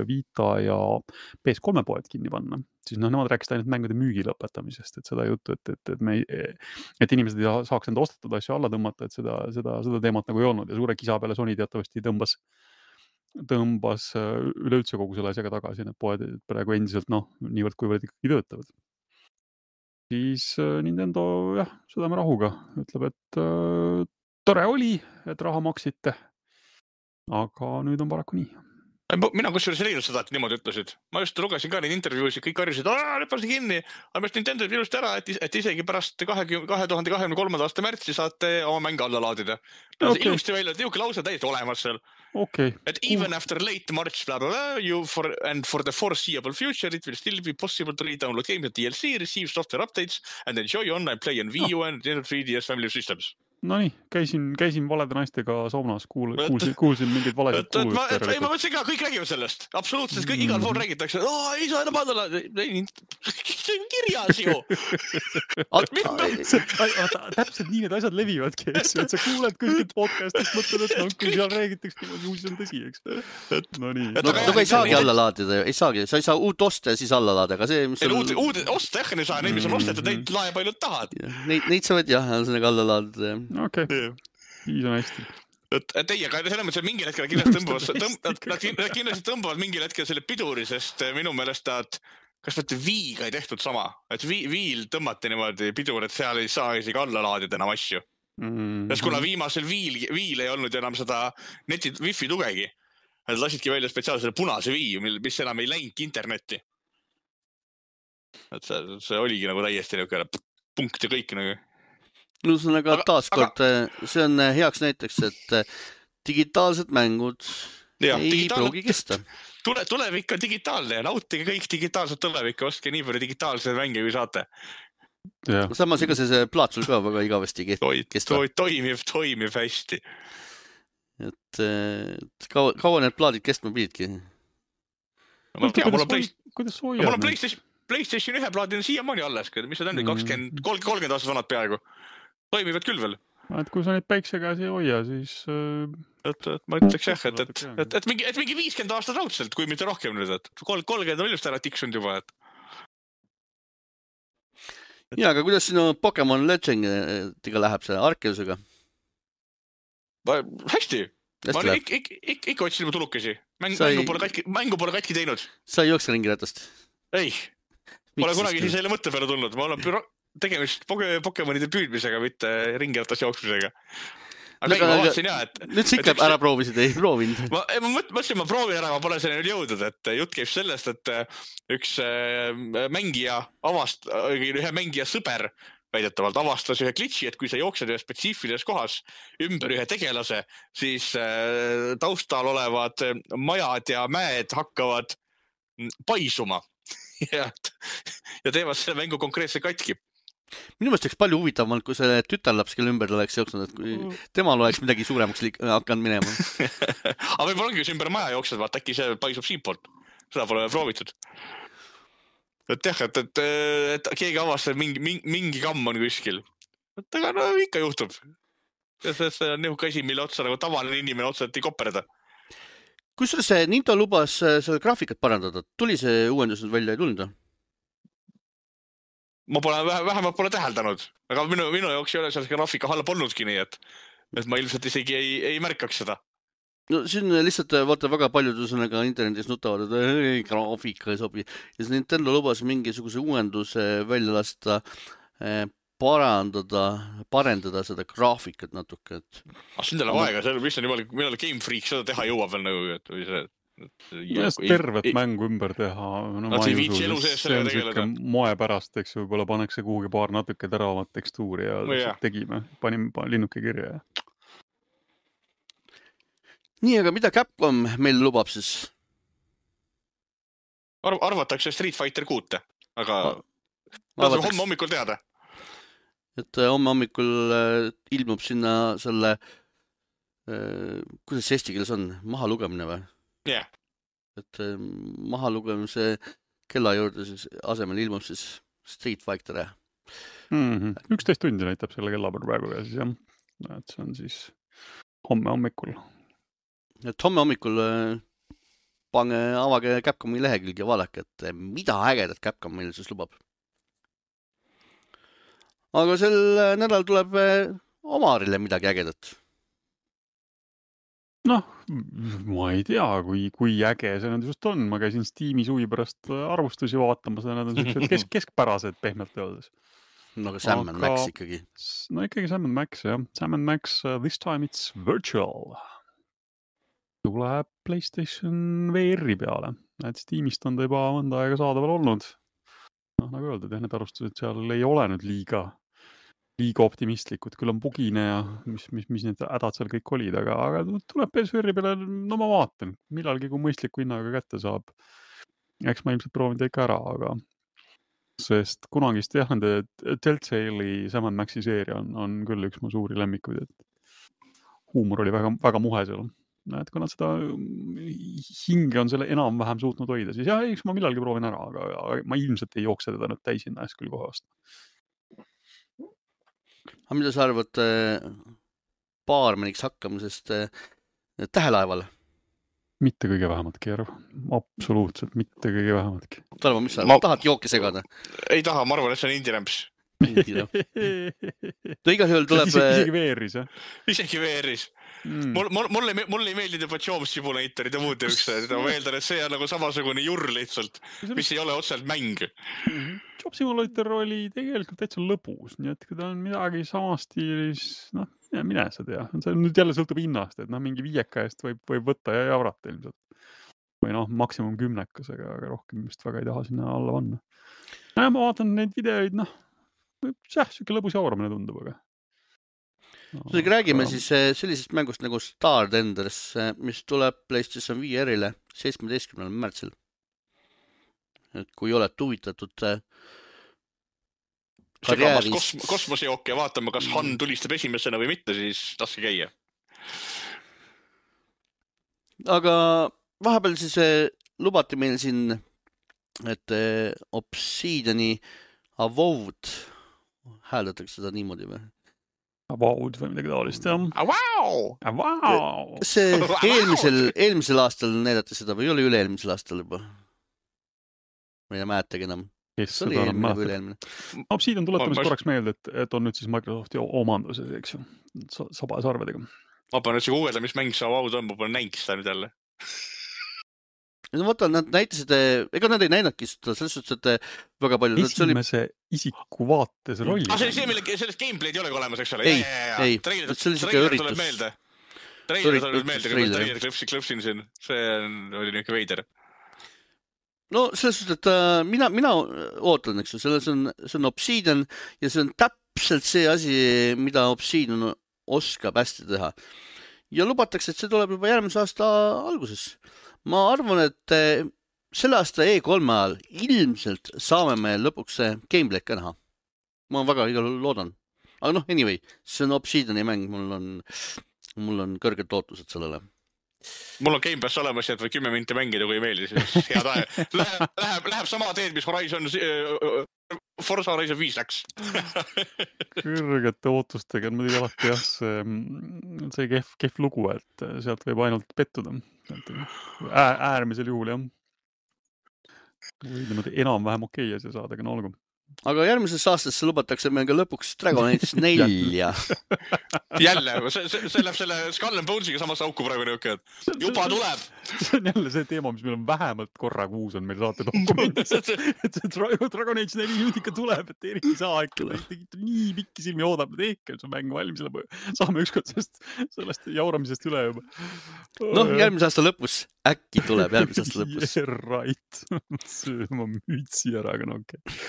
Speaker 2: Vita ja P S kolm poed kinni panna, siis noh, nemad rääkisid ainult mängude müügi lõpetamisest, et seda juttu, et, et, et, me, et inimesed ei saaks enda ostetud asju alla tõmmata, et seda, seda, seda teemat nagu ei olnud ja suure kisa peale Sony teatavasti tõmbas tõmbas üleüldse kogu selle asjaga tagasi, need poed praegu endiselt, noh, niivõrd kuivõrd ikkagi töötavad. Siis Nintendo, jah, südame rahuga ütleb, et äh, tore oli, et raha maksite, aga nüüd on paraku nii.
Speaker 3: Mina kusjuures ei leidnud seda, et niimoodi ütlesid. Ma just lugesin ka neid intervjuusid, kõik harjusid, aah, nüüd pansi kinni, aga mest Nintendo ilusti ära, et, et isegi pärast kahe tuhande kahekümne kolmanda aasta märtsi saate oma mänge alla laadida. Okay. Ilusti välja, et jõuke lause täiesti olemas seal.
Speaker 2: Okay.
Speaker 3: Et even uh. after late March, blah, blah, blah, you for, and for the foreseeable future, it will still be possible to re-download games and D L C, receive software updates and enjoy online play on Wii U oh. and three D S family systems.
Speaker 2: No nii, käisin, käisin valede naistega saunas, kuul, kuulsin, kuulsin mingeid valesid kuulud.
Speaker 3: Ma, ma, ma mõtlesin ka, kõik räägivad sellest. Absoluutselt, kõik, igal pool räägitakse. Oh, ei saa enam andala. See on kirjas ju.
Speaker 2: Täpselt nii need asjad levivadki, eks. Et sa kuuled kuskilt podcastist, mõtled, et no, kui seal räägitakse, siis see on tõsi, eks. No nii.
Speaker 1: No, no ei saagi alla laadida, ei saagi. Sa ei saa uut osta ja siis alla laada, aga see, mis
Speaker 3: on... Uud, uud osta, jah, ei saa. Neid, mis on ostetud, neid lae palju tahad.
Speaker 1: Neid, neid sa võid jah, sellega alla laadida, jah.
Speaker 2: Okei, okay. Siis on hästi.
Speaker 3: Et, et ei, aga selles mõttes, et mingil hetkel kindlasti tõmbavad, tõmb, nad kindlasti tõmbavad mingil hetkel selle piduri, sest minu meelest nad, kas võtte Viiga ei tehtud sama, et vi, Viil tõmmati niimoodi pidur, et seal ei saa isegi alla laadida enam asju. Mm-hmm. Sest kuna viimasel Viil, Viil ei olnud enam seda neti wifi tugegi, nad lasidki välja spetsiaalse punase Vii, mis enam ei läinud internetti. Et see, see oligi nagu täiesti niisugune punkt ja kõik nagu.
Speaker 1: Ühesõnaga taaskord, see on heaks näiteks, et digitaalsed mängud ja, ei digitaal... pruugi kesta.
Speaker 3: Tule, tulevik on digitaalne ja nautige kõik digitaalset tulevik ja ostke nii palju digitaalseid mänge, kui saate.
Speaker 2: Ja.
Speaker 1: Samas ega see, see plaatsul ka väga igavesti kesta.
Speaker 3: Toimib, toimib hästi.
Speaker 1: Et, et kaua, kaua need plaadid kestma pididki?
Speaker 3: Ma tea, mul on, play...
Speaker 2: mul
Speaker 3: on PlayStation, PlayStation ühe plaadina siiamaani alles, mis see on, kakskümmend, kolmkümmend aastat vanad peaaegu. Toimivad küll veel.
Speaker 2: Et kui sa neid päikse käes ei hoia, siis...
Speaker 3: Et, et ma ütleks jah, et, et, et, et, mingi, et mingi viiskümmend aastat raudselt, kui mitte rohkem nüüd, et kolmkümmend on ilusti ära tiksunud juba. Et...
Speaker 1: Ja, aga kuidas sinu Pokemon Legendiga läheb selle Arkeusega?
Speaker 3: Hästi. Ma olen ikka ik, ik, ik otsin mu tulukesi. Mäng, Sai... Mängu, pole katki, mängu pole katki teinud.
Speaker 1: Sa ei jookse ringi ratast?
Speaker 3: Ei. Pole Miks kunagi siis selle mõtte peale tulnud. Ma olen büro... tegemist Pokemonide püüdmisega, mitte ringiratas jooksmisega. Aga no, ma vaatasin jah, et...
Speaker 1: Nüüd sa ikka et, ära proovisid, ei proovinud.
Speaker 3: Ma, ma mõtlesin, ma proovin ära, ma pole selle nüüd jõudnud, et jutt käib sellest, et üks mängija avast, ühe mängija sõber väidetavalt avastas ühe glitchi, et kui sa jooksed ühe spetsiifilises kohas ümber ühe tegelase, siis taustal olevad majad ja mäed hakkavad paisuma ja, ja teevad selle mängu konkreetse katki.
Speaker 1: Minu mõelest oleks palju huvitavamalt, kui see tütarlaps, kelle ümber oleks jooksnud, et kui temal oleks midagi suuremaks liik- hakanud minema.
Speaker 3: Aga võib-olla ongi, kui ümber maja jooksed, vaat äkki see paisub siinpoolt. Seda pole proovitud. Et jah, et, et, et keegi avastab mingi, mingi, mingi kamm on kuskil. Et aga no ikka juhtub. See, see on nihuke asi, mille otsa nagu tavaline inimene otseselt ei koperda.
Speaker 1: Kusjuures see Nintendo lubas selle graafikat parandada. Tuli see uuendus nüüd välja, ei tulnud?
Speaker 3: Ma pole, vähemalt pole täheldanud, aga minu, minu jooks ei ole seal graafika halb olnudki nii, et, et ma ilmselt isegi ei, ei märkaks seda.
Speaker 1: No siin lihtsalt vaata väga paljud üsõnaga internetis nutavad, et ei, graafika ei sobi. Ja see Nintendo lubas mingisuguse uuenduse välja lasta, parandada, parendada seda graafikat natuke. Et...
Speaker 3: Ah, siin teile aega, see, mis on jumala, millal Game Freak seda teha jõuab veel nagu, et või see...
Speaker 2: Just tervet mängu ümber teha. No,
Speaker 3: Nad
Speaker 2: ma
Speaker 3: ei
Speaker 2: ei
Speaker 3: viitsi
Speaker 2: usu,
Speaker 3: elu
Speaker 2: sest
Speaker 3: sees
Speaker 2: see
Speaker 3: sellega
Speaker 2: on
Speaker 3: tegeleda.
Speaker 2: siuke moe pärast, eks ju, võib-olla pannakse kuhugi paar natuke teravamat tekstuuri ja
Speaker 3: No
Speaker 2: lihtsalt
Speaker 3: jah.
Speaker 2: tegime, panime pa- linnuke kirja.
Speaker 1: nii, aga mida Capcom meil lubab siis?
Speaker 3: Arv arvatakse Street Fighter kuute, aga
Speaker 1: Ma-
Speaker 3: ta saab
Speaker 1: arvataks-
Speaker 3: homme hommikul teada.
Speaker 1: et äh, homme hommikul äh, ilmub sinna selle äh, kuidas see eesti keeles on? Maha lugemine või?
Speaker 3: Jah.
Speaker 1: Et äh, maha lugemise kella juurde siis asemel ilmub siis Street Fighter.
Speaker 2: Mm-hmm. üksteist tundi näitab selle kellapär praegu ja siis jah, et see on siis homme hommikul.
Speaker 1: Et homme hommikul äh, pange, avage Capcomi lehekülg ja vaadake, et äh, mida ägedat Capcom meil siis lubab. Aga sel äh, nädal tuleb äh, Omarile midagi ägedat.
Speaker 2: Noh, ma ei tea, kui, kui äge see nüüd just on. Ma käisin Steam'i suvi pärast arvustusi vaatamas ja nad on sellised kesk, keskpärased pehmelt öeldes.
Speaker 1: No aga Sam and
Speaker 2: Aga-
Speaker 1: Max ikkagi.
Speaker 2: No ikkagi Sam and Max, jah. Sam and Max, uh, this time it's virtual. Tuleb PlayStation V R-i peale. Et Steamist on ta juba mõnda aega saadaval olnud. Noh, nagu öeldud, jah, need arvustused seal ei ole nüüd liiga, liiga optimistlikud. Küll on bugine ja mis, mis, mis need hädad seal kõik olid, aga, aga tuleb P S V R-i peale, no ma vaatan. Millalgi, kui mõistliku hinnaga kätte saab. Eks ma ilmselt proovin ta ikka ära, aga sest kunagist jah, nende Telltale'i Sam and Maxi seeria on, on küll üks mu suuri lemmikuid, et huumor oli väga, väga muhe seal. Et kui nad seda hinge on selle enam-vähem suutnud hoida, siis jah, eks ma millalgi proovin ära, aga, aga ma ilmselt ei jookse teda nüüd täisinna eest küll kohe vastu.
Speaker 1: Aga mida sa arvad äh, baarmeniks hakkamisest äh, tähelaevale?
Speaker 2: Mitte kõige vähematki, Järv. Absoluutselt mitte kõige vähematki.
Speaker 1: Tarmo, mis sa
Speaker 3: Ma-
Speaker 1: tahad jooki segada?
Speaker 3: Ei taha, ma arvan, et see on indie-rämps.
Speaker 1: No igal juhul tuleb...
Speaker 2: Isegi, isegi V R-is, jah?
Speaker 3: Isegi V R-is.
Speaker 2: Mm.
Speaker 3: Mul, mul, mulle, mulle ei meeldi juba Job Simulatorid ja muud üksed. Ma eeldan, et see on nagu samasugune jurr lihtsalt, mis ei ole otseselt mäng.
Speaker 2: Job Simulator oli tegelikult täitsa lõbus, nii et kui ta on midagi samas stiilis, noh, mine sa tea. See nüüd jälle sõltub hinnast, et noh, mingi viieka eest võib, võib võtta ja javrata ilmselt. Või noh, maksimum kümnekusega, aga rohkem vist väga ei taha sinna alla panna. Ja ma vaatan neid videoid, noh, jah, siuke lõbus jauramine tundub, aga...
Speaker 1: No, räägime siis sellisest mängust nagu Star Tenders, mis tuleb PlayStation V R-ile seitsmeteistkümnendal märtsil. Et kui oled huvitatud
Speaker 3: karjääris... Kosm kosmosejooke ja vaatame, kas Han tulistab esimesena või mitte, siis taske käia.
Speaker 1: Aga vahepeal siis lubati meil siin, et Obsidiani Avowed, hääldatakse seda niimoodi või?
Speaker 2: Avowed või midagi taolist, jah.
Speaker 3: Avau!
Speaker 2: Avau!
Speaker 1: See eelmisel, eelmisel aastal näidati seda või oli üle-eelmisel aastal juba? Ma ei mäletagi enam.
Speaker 2: Kes
Speaker 1: See oli
Speaker 2: seda
Speaker 1: eelmine
Speaker 2: enam
Speaker 1: või
Speaker 2: mäletab?
Speaker 1: üle-eelmine.
Speaker 2: Obsidian tuletamis
Speaker 3: Ma-
Speaker 2: korraks meelde, et, et on nüüd siis Microsofti omanduses, eks ju, Sa- sabasarvedega.
Speaker 3: Ma pean nüüd see guugelda, mis mäng see Avaud on, ma pean näinud seda nüüd jälle.
Speaker 1: No vaata, nad näitasid, ega nad ei näinudki seda, selles suhtes, et väga palju...
Speaker 2: Esimese oli... isiku vaates rolli.
Speaker 3: Ah, see oli see, mille sellest gameplay'd ei ole olemas, eks ole?
Speaker 1: Ei,
Speaker 3: ja, ja, ja.
Speaker 1: ei.
Speaker 3: Treiler,
Speaker 1: See oli siuke
Speaker 3: treiler
Speaker 1: üritus.
Speaker 3: tuleb meelde. Treiler tuleb
Speaker 1: Üritus,
Speaker 3: meelde, kui
Speaker 1: treiler.
Speaker 3: ma treiler klõpsin, klõpsin siin. See on, oli niisugune veider.
Speaker 1: No selles suhtes, et äh, mina, mina ootan, eks ju, selles on, see on Obsidian ja see on täpselt see asi, mida Obsidian oskab hästi teha. Ja lubatakse, et see tuleb juba järgmise aasta alguses. Ma arvan, et äh, selle aasta E kolme ajal ilmselt saame me lõpuks gameplay ka näha. Ma väga igal juhul loodan. Aga noh, anyway, see on Obsidiani mäng, mul on, mul on kõrged lootused sellele.
Speaker 3: Mul on Game Pass olemas, et või kümme minti mängida, kui ei meeldi, siis head aeg. Läheb, läheb, läheb sama teed, mis Horizon, Forza Horizon viis läks.
Speaker 2: Kõrgete ootustega on muidugi alati jah, see, see kehv, kehv lugu, et sealt võib ainult pettuda. Äär, äärmisel juhul, jah. Või niimoodi enam-vähem okei asja saada, aga no olgu.
Speaker 1: Aga järgmises aastasse lubatakse meil ka lõpuks Dragon Age nelja.
Speaker 3: Jälle, see, see, see läheb selle Skull and Bonesiga samasse auku praegu niuke, et juba tuleb.
Speaker 2: See on jälle see teema, mis meil on vähemalt korra kuus on meil saate dokumendis. Et see Dragon Age neli nüüd ikka tuleb, et eriti saa ikka. Nii pikki silmi oodab, et ehk see mäng valmis. Saame ükskord sellest, sellest jauramisest üle juba.
Speaker 1: Noh, järgmise aasta lõpus äkki tuleb järgmise aasta lõpus.
Speaker 2: Yeah, right. Söö oma mütsi ära, aga no okei. Okay.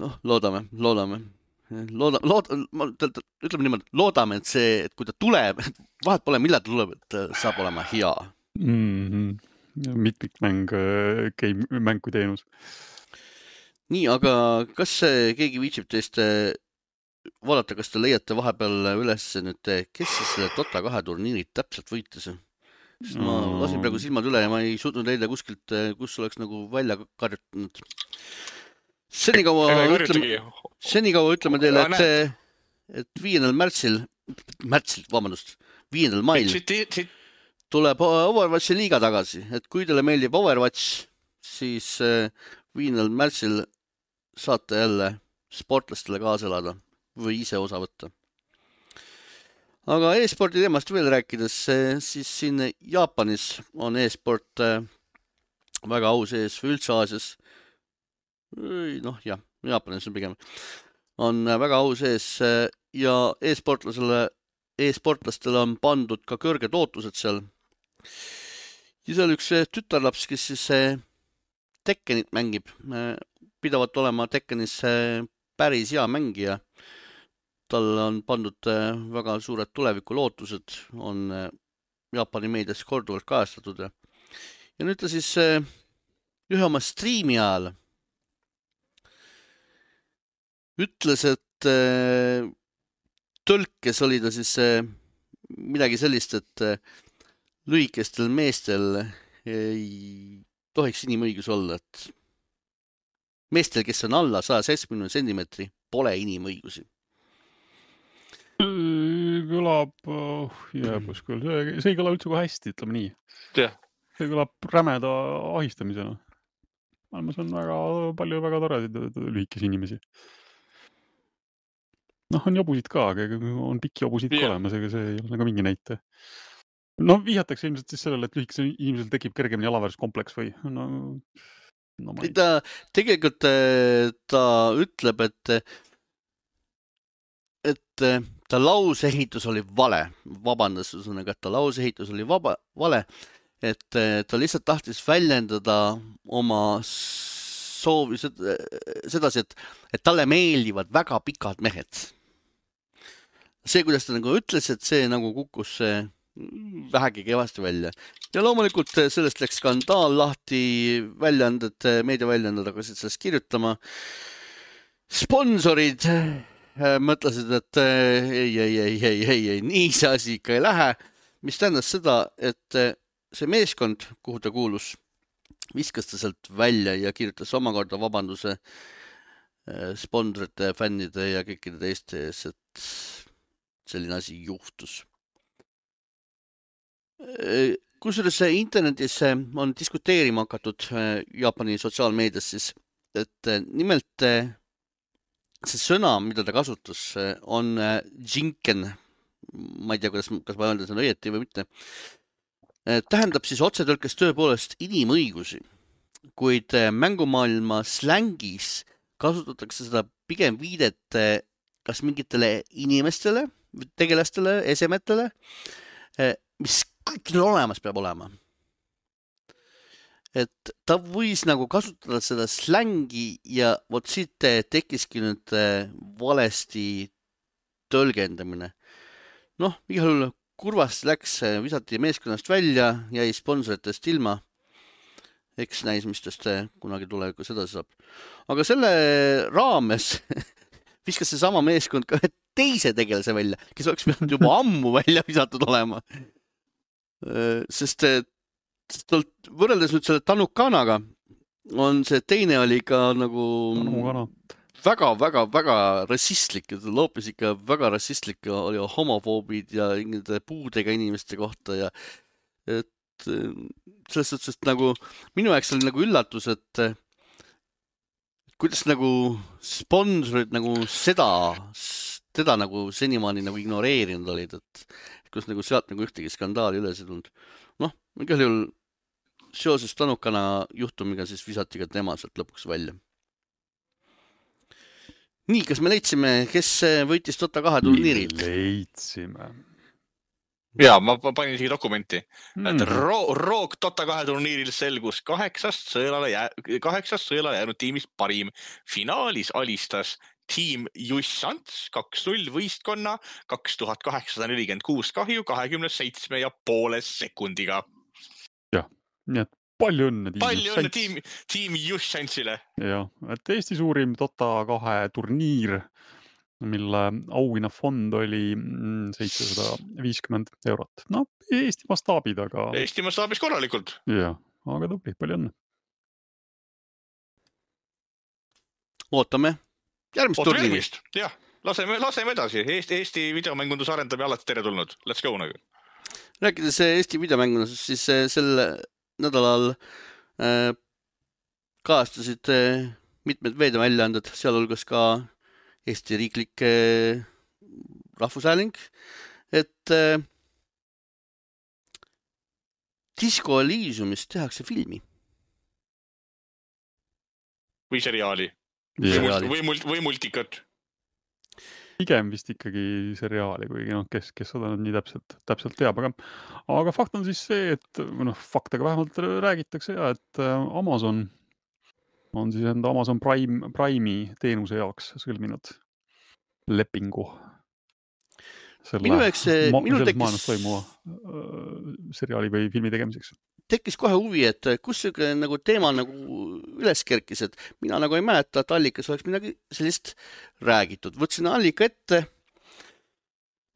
Speaker 1: noh, loodame, loodame. Looda, lood, ma, ütleme niimoodi, loodame, et see, et kui ta tuleb, vahet pole, millal ta tuleb, et saab olema hea.
Speaker 2: Mm-hmm. Mitmikmäng, game, mäng kui teenus.
Speaker 1: Nii, aga kas keegi viitsib teist vaadata, kas te leiate vahepeal üles nüüd, kes siis selle Dota kahe turniirid täpselt võitis? Sest ma lasin praegu silmad üle ja ma ei suutnud leida kuskilt, kus oleks nagu välja karjutanud. Senikaua ütleme, senikaua ütleme teile, et, et viiendal märtsil, märtsil, vabandust, viiendal mail tuleb Overwatchi liiga tagasi. Et kui teile meeldib Overwatch, siis viiendal märtsil saate jälle sportlastele kaasa elada või ise osa võtta. Aga e-sporti teemast veel rääkides, siis siin Jaapanis on e-sport väga au sees või üldse Aasias. noh jah, Jaapanis on pigem. On väga au sees ja e-sportlasele, e-sportlastele on pandud ka kõrged ootused seal. Ja seal üks tütarlaps, kes siis Tekkenit mängib, pidavat olema Tekkenis päris hea mängija. Tal on pandud väga suured tuleviku lootused, on Jaapani meedias korduvalt kajastatud. Ja nüüd ta siis ühe oma striimi ajal ütles, et tõlkes oli ta siis midagi sellist, et lühikestel meestel ei tohiks inimõigus olla, et meestel, kes on alla saja seitsmekümne sentimeetri, pole inimõigusi.
Speaker 2: Kõlab, oh, jääbus küll, see, see ei kõla üldse kui hästi, ütleme nii.
Speaker 3: Yeah.
Speaker 2: See kõlab rämeda ahistamisena. Maailmas on väga palju väga toredaid lühikesi inimesi. noh, on jobusid ka, aga on pikki jobusid yeah. ka olemas, ega see ei ole nagu mingi näite. no vihjatakse ilmselt siis sellele, et lühikesel inimesel tekib kergemini alaväärsuskompleks või no,
Speaker 1: no ma... ta, tegelikult ta ütleb, et et ta lauseehitus oli vale, vabandas, et ta lauseehitus oli vaba, vale, et ta lihtsalt tahtis väljendada oma soovi sedasi, et, et talle meeldivad väga pikad mehed. See, kuidas ta nagu ütles, et see nagu kukkus vähegi kevasti välja. Ja loomulikult sellest läks skandaal lahti, väljaanded, meediaväljaanded hakkasid sellest kirjutama. Sponsorid mõtlesid, et ei, ei, ei, ei, ei, ei, nii see asi ikka ei lähe, mis tähendas seda, et see meeskond, kuhu ta kuulus, viskas ta sealt välja ja kirjutas omakorda vabanduse sponsorite, fännide ja kõikide teiste ees, et selline asi juhtus. Kusjuures internetis on diskuteerima hakatud Jaapani sotsiaalmeedias siis, et nimelt see sõna, mida ta kasutas, on jinken. Ma ei tea, kuidas, kas ma öeldes on õieti või mitte. Tähendab siis otsetõlkes tõepoolest inimõigusi, kuid mängumaailma slängis kasutatakse seda pigem viidet kas mingitele inimestele, tegelastele, esemetele, mis kõikidel olemas peab olema. Et ta võis nagu kasutada seda slängi ja vot siit tekkiski nüüd valesti tõlgendamine. noh, igal juhul kurvasti läks, visati meeskonnast välja, jäi sponsoritest ilma. Eks näis, mis tast kunagi tulevikus edasi saab. Aga selle raames viskas see sama meeskond ka teise tegelase välja, kes oleks pidanud juba ammu välja visatud olema. Sest võrreldes nüüd selle Tanukanaga on see teine oli ka nagu väga, väga, väga rassistlik, loopis ikka väga rassistlik, oli homofoobid ja puudega inimeste kohta ja et selles suhtes, et nagu minu jaoks oli nagu üllatus, et kuidas nagu sponsorid nagu seda, teda nagu senimaani nagu ignoreerinud olid, et kus nagu sealt nagu ühtegi skandaali üles ei tulnud. noh, igal juhul seoses Tanukana juhtumiga siis visati ka tema sealt lõpuks välja. Nii, kas me leidsime, kes võitis Dota kahe turniirid?
Speaker 2: Leidsime.
Speaker 3: ja ma panin isegi dokumenti,
Speaker 2: Mhm.
Speaker 3: et Ro- Rogue Dota kahe turniiril selgus kaheksast sõelale, jää, kaheksast sõelale jäänud tiimist parim. Finaalis alistas tiim Jussants kaks null võistkonna kaks tuhat kaheksasada nelikümmend kuus kahju kahekümne seitsme ja poole sekundiga.
Speaker 2: Nii et palju õnne tiim
Speaker 3: Palju õnne
Speaker 2: Jussants.
Speaker 3: tiim, tiim Jussantsile.
Speaker 2: Jah, et Eesti suurim Dota kahe turniir, mille auhinnafond oli mm, seitsesada viiskümmend eurot. No, Eesti mastaabid, aga
Speaker 3: Eesti mastaabis korralikult.
Speaker 2: jah, aga tubli, palju õnne.
Speaker 1: ootame järgmist
Speaker 3: Ootame
Speaker 1: turniiri .
Speaker 3: järgmist. Jah, laseme, laseme edasi. Eesti, Eesti videomängunduse arendamine alati teretulnud. Let's go nagu.
Speaker 1: rääkides Eesti videomängudest, siis eh, sel nädalal äh, kajastasid äh, mitmed meediaväljaanded, sealhulgas ka Eesti riiklik äh, rahvushääling, et äh, Disco Elysiumist tehakse filmi .
Speaker 3: Või seriaali.
Speaker 2: Ja,
Speaker 3: Või,
Speaker 1: Seriaali.
Speaker 3: mult, või, mult, või multikat.
Speaker 2: pigem vist ikkagi seriaali, kuigi noh, kes, kes seda nüüd nii täpselt, täpselt teab, aga, aga fakt on siis see, et või noh, faktega vähemalt räägitakse ja, et äh, Amazon on siis enda Amazon Prime, Prime'i teenuse jaoks sõlminud lepingu selle
Speaker 1: Minu jaoks see-
Speaker 2: ma,
Speaker 1: minul
Speaker 2: selles
Speaker 1: tekkis-
Speaker 2: maailmas toimuva äh, seriaali või filmi tegemiseks.
Speaker 1: tekkis kohe huvi, et kus see nagu teema nagu üles kerkis, et mina nagu ei mäleta, et allikas oleks midagi sellist räägitud. Võtsin allika ette.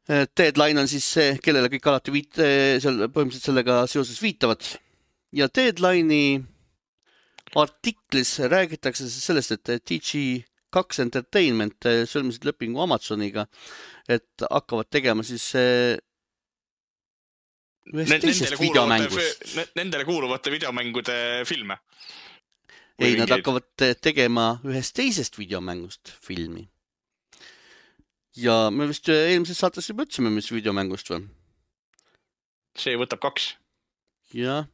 Speaker 1: Deadline on siis see, kellele kõik alati viit, seal põhimõtteliselt sellega seoses viitavad. Ja Deadline'i artiklis räägitakse sellest, et D G kaks Entertainment sõlmisid lepingu Amazoniga, et hakkavad tegema siis ühest teisest videomängust.
Speaker 3: Nendele kuuluvate videomängude filme.
Speaker 1: Ei, nad hakkavad tegema ühest teisest videomängust filmi. Ja me vist eelmises saates juba ütlesime, mis videomängust või?
Speaker 3: See võtab kaks.
Speaker 1: Jah.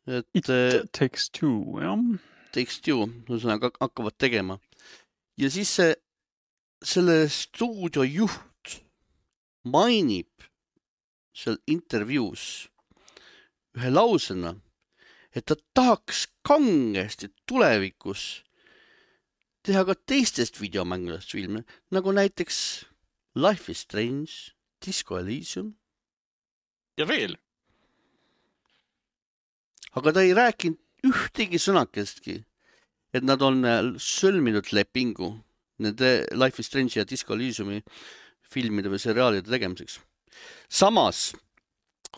Speaker 1: Et
Speaker 2: It takes two, jah.
Speaker 1: Takes two, ühesõnaga hakkavad tegema. Ja siis see, selle stuudio juht mainib seal intervjuus ühe lausena, et ta tahaks kangesti tulevikus teha ka teistest videomängudest filme, nagu näiteks Life is Strange, Disco Elysium.
Speaker 3: Ja veel.
Speaker 1: Aga ta ei rääkinud ühtegi sõnakestki, et nad on sõlminud lepingu nende Life is Strange ja Disco Elysiumi filmide või seriaalide tegemiseks. Samas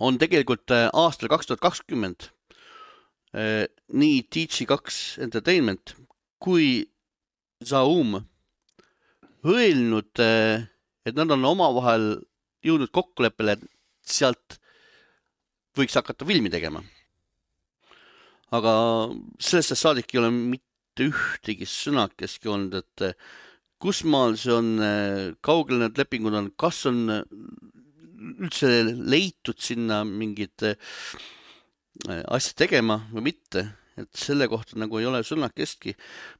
Speaker 1: on tegelikult aastal kaks tuhat kakskümmend nii D G kaks Entertainment kui Zaum öelnud, et nad on omavahel jõudnud kokkuleppele, et sealt võiks hakata filmi tegema. Aga sellest saadik ei ole mitte ühtegi sõnakeski olnud, et kus maal see on, kaugel need lepingud on, kas on üldse leitud sinna mingid asja tegema või mitte, et selle kohta nagu ei ole sõnakestki.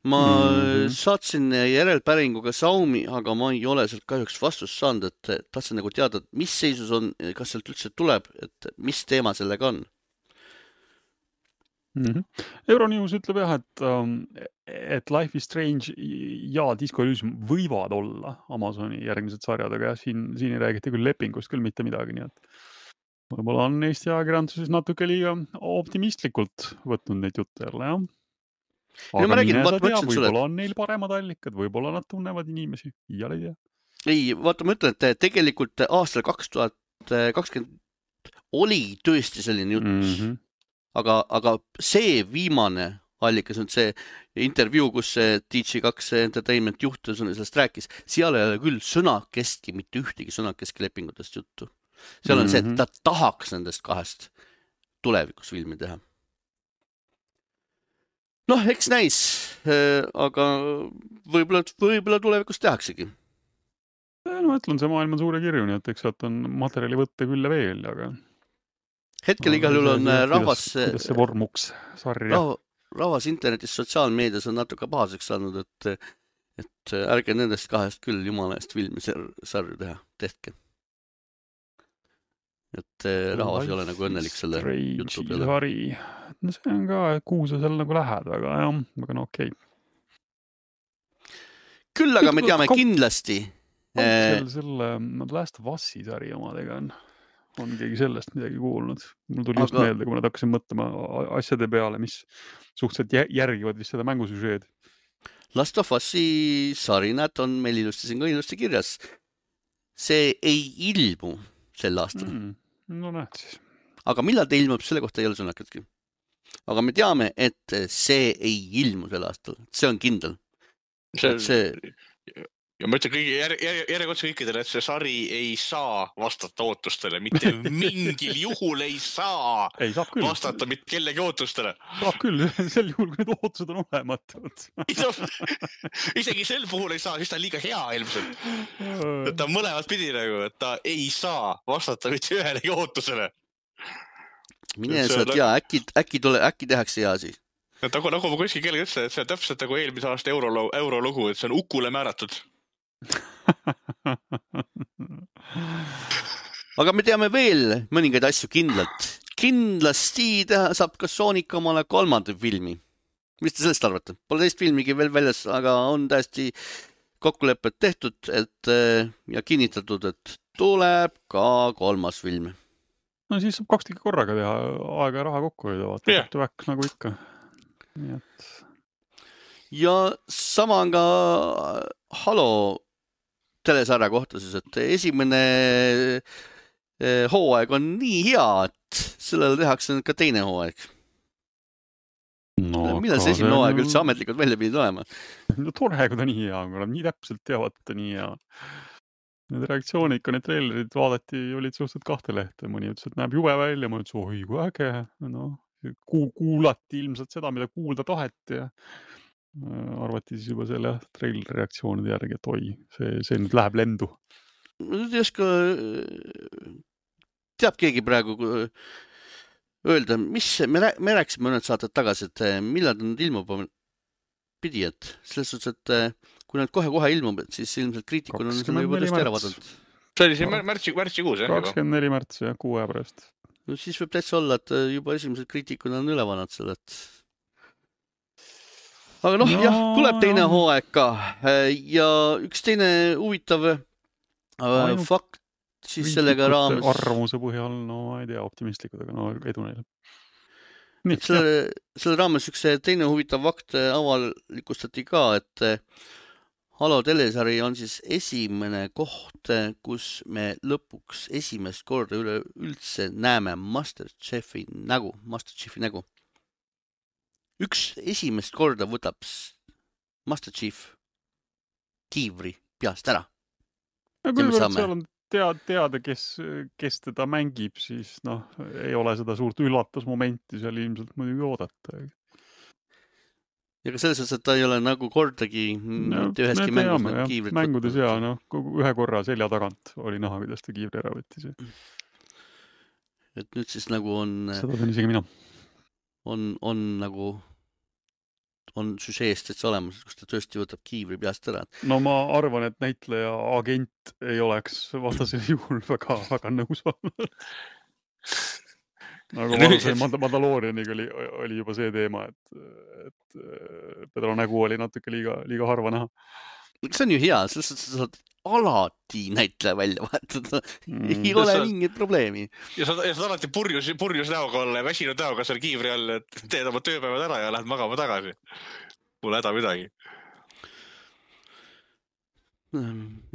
Speaker 1: Ma mm-hmm. saatsin järelpäringuga Saumi, aga ma ei ole sealt kahjuks vastust saanud, et tahtsin nagu teada, mis seisus on, kas sealt üldse tuleb, et mis teema sellega on.
Speaker 2: Mm-hmm. Euronews ütleb jah, et, et Life is Strange ja Disco Elysium võivad olla Amazoni järgmised sarjad, aga jah, siin, siin ei räägita küll lepingust küll mitte midagi, nii et võib-olla on Eesti ajakirjanduses natuke liiga optimistlikult võtnud neid jutte jälle, jah. Aga
Speaker 1: no, räägin,
Speaker 2: mine
Speaker 1: vaat,
Speaker 2: sa tea,
Speaker 1: sulle,
Speaker 2: võib-olla on neil paremad allikad, võib-olla nad tunnevad inimesi, iial ei tea.
Speaker 1: Ei, vaata, ma ütlen, et tegelikult aastal kaks tuhat kakskümmend oli tõesti selline jutt, mm-hmm. aga, aga see viimane allikas on see intervjuu, kus see D G kaks Entertainment juht sellest rääkis, seal ei ole küll sõnakestki, mitte ühtegi sõnakestki lepingutest juttu. Seal on mm-hmm. see, et ta tahaks nendest kahest tulevikus filmi teha. Noh, eks näis, aga võib-olla, võib-olla tulevikus tehaksegi.
Speaker 2: No, ma ütlen, see maailm on suure kirju, nii et eks sealt on materjali võtta küll ja veel, aga
Speaker 1: hetkel igal juhul on rahvas,
Speaker 2: kuidas see vormuks sarja.
Speaker 1: Rahvas internetis, sotsiaalmeedias on natuke pahaseks saanud, et, et et ärge nendest kahest küll jumala eest filmi sarju teha, tehke. Et rahvas ei ole nagu õnnelik selle jutu peale.
Speaker 2: Hari. No see on ka, kuhu sa seal nagu lähed, väga, jah, väga no okei.
Speaker 1: Küll aga me teame kindlasti.
Speaker 2: Kaugel selle Last of Us'i sari omadega on, on keegi sellest midagi kuulnud. Mul tuli aga... just meelde, kui ma nad hakkasin mõtlema asjade peale, mis suhteliselt järgivad vist seda mängusüžeed.
Speaker 1: Last of Us'i sari, näed, on meil ilusti siin ka ilusti kirjas. See ei ilmu sel aastal.
Speaker 2: Mm, no näed siis.
Speaker 1: Aga millal ta ilmub, selle kohta ei ole sõnakatki. Aga me teame, et see ei ilmu sel aastal. See on kindel.
Speaker 3: See, see... Ja ma ütlen kõigi, jär, jär, järjekotse kõikidele, et see sari ei saa vastata ootustele. Mitte mingil juhul ei saa,
Speaker 2: ei, saab küll.
Speaker 3: Vastata mitte kellegi ootustele.
Speaker 2: Saab küll, sel juhul, kui need ootused on olematud.
Speaker 3: Isegi sel puhul ei saa, siis ta on liiga hea ilmselt. Et ta on mõlemat pidi nagu, et ta ei saa vastata mitte ühelegi ootusele.
Speaker 1: Mine sa tea, äkki, äkki, tule, äkki tehakse hea siis.
Speaker 3: Nagu, nagu ma kuskil kellegi ütlesin, et see on täpselt nagu eelmise aasta euro, eurolugu, et see on Ukule määratud.
Speaker 1: Aga me teame veel mõningaid asju kindlalt. Kindlasti teha, saab ka Sonic omale kolmanda filmi. Mis te sellest arvate? Pole teist filmigi veel väljas, aga on täiesti kokkulepped tehtud et, ja kinnitatud, et tuleb ka kolmas film.
Speaker 2: No siis saab kaks tükki korraga teha, aega ja raha kokku hoida, vaata, yeah. Väk, nagu ikka. Nii et...
Speaker 1: Ja sama on ka Halo telesarja kohta siis, et esimene hooaeg on nii hea, et sellele tehakse ka teine hooaeg.
Speaker 2: No,
Speaker 1: millal see esimene hooaeg üldse ametlikult välja pidid olema?
Speaker 2: No tore, kui ta nii hea on, kui nad nii täpselt teavad, et ta nii hea. Need reaktsioonid, kui need trailerid vaadati, olid suhteliselt kahte lehte. Mõni ütles, et näeb jube välja, ma ütles, oi, kui äge. No, kuulati ilmselt seda, mida kuulda taheti ja arvati siis juba selle traileri reaktsioonide järgi, et oi, see, see nüüd läheb lendu.
Speaker 1: Nüüd ei oska, teab keegi praegu öelda, mis, me, me rääkisime mõned saated tagasi, et millal nad ilmub pidi, et selles suhtes, et kui nad kohe-kohe ilmub, siis ilmselt kriitikul on seda juba tõesti ära vaadanud.
Speaker 3: See oli siin märtsi, märtsi kuus, jah?
Speaker 2: kakskümmend neli märtsi, jah, kuu aja pärast.
Speaker 1: No siis võib täitsa olla, et juba esimesed kriitikul on üle vanad selle, et aga noh, no, jah, tuleb teine hooaeg ka ja üks teine huvitav Ainult fakt siis sellega raames.
Speaker 2: Arvamuse põhjal, no ma ei tea, optimistlikud, aga no edu neile.
Speaker 1: Nii, selle, selle raames üks teine huvitav fakt avalikustati ka, et Halo telesari on siis esimene koht, kus me lõpuks esimest korda üle üldse näeme Masterchefi nägu, Masterchefi nägu. Üks esimest korda võtab Masterchief kiivri peast ära.
Speaker 2: Ja kui võrd seal on teada, teada kes, kes teda mängib, siis noh, ei ole seda suurt üllatusmomenti seal ilmselt muidugi oodata.
Speaker 1: Ja ka selles, et ta ei ole nagu kordagi no, üheski mängus teame, kiivrit võtta.
Speaker 2: Mängudes ja no, ühe korra selja tagant oli näha, kuidas ta kiivri ära võttis.
Speaker 1: Et nüüd siis nagu on...
Speaker 2: Seda on isegi mina.
Speaker 1: On, on nagu on süžeest, et see olemas, kus ta tõesti võtab kiivri peast ära.
Speaker 2: No ma arvan, et näitleja agent ei oleks vastasel juhul väga, väga nõus olnud. Nagu ma arvasin, Mandaloorianiga oli, oli juba see teema, et, et Pedro nägu oli natuke liiga, liiga harva näha.
Speaker 1: See on ju hea, selles suhtes sa saad alati näitleja välja vahetada. Mm. Ei ole sa... mingit probleemi.
Speaker 3: Ja sa, ja sa alati purjus, purjus näoga olla ja väsinud näoga seal kiivri all, et teed oma tööpäevad ära ja lähed magama tagasi. Pole häda midagi.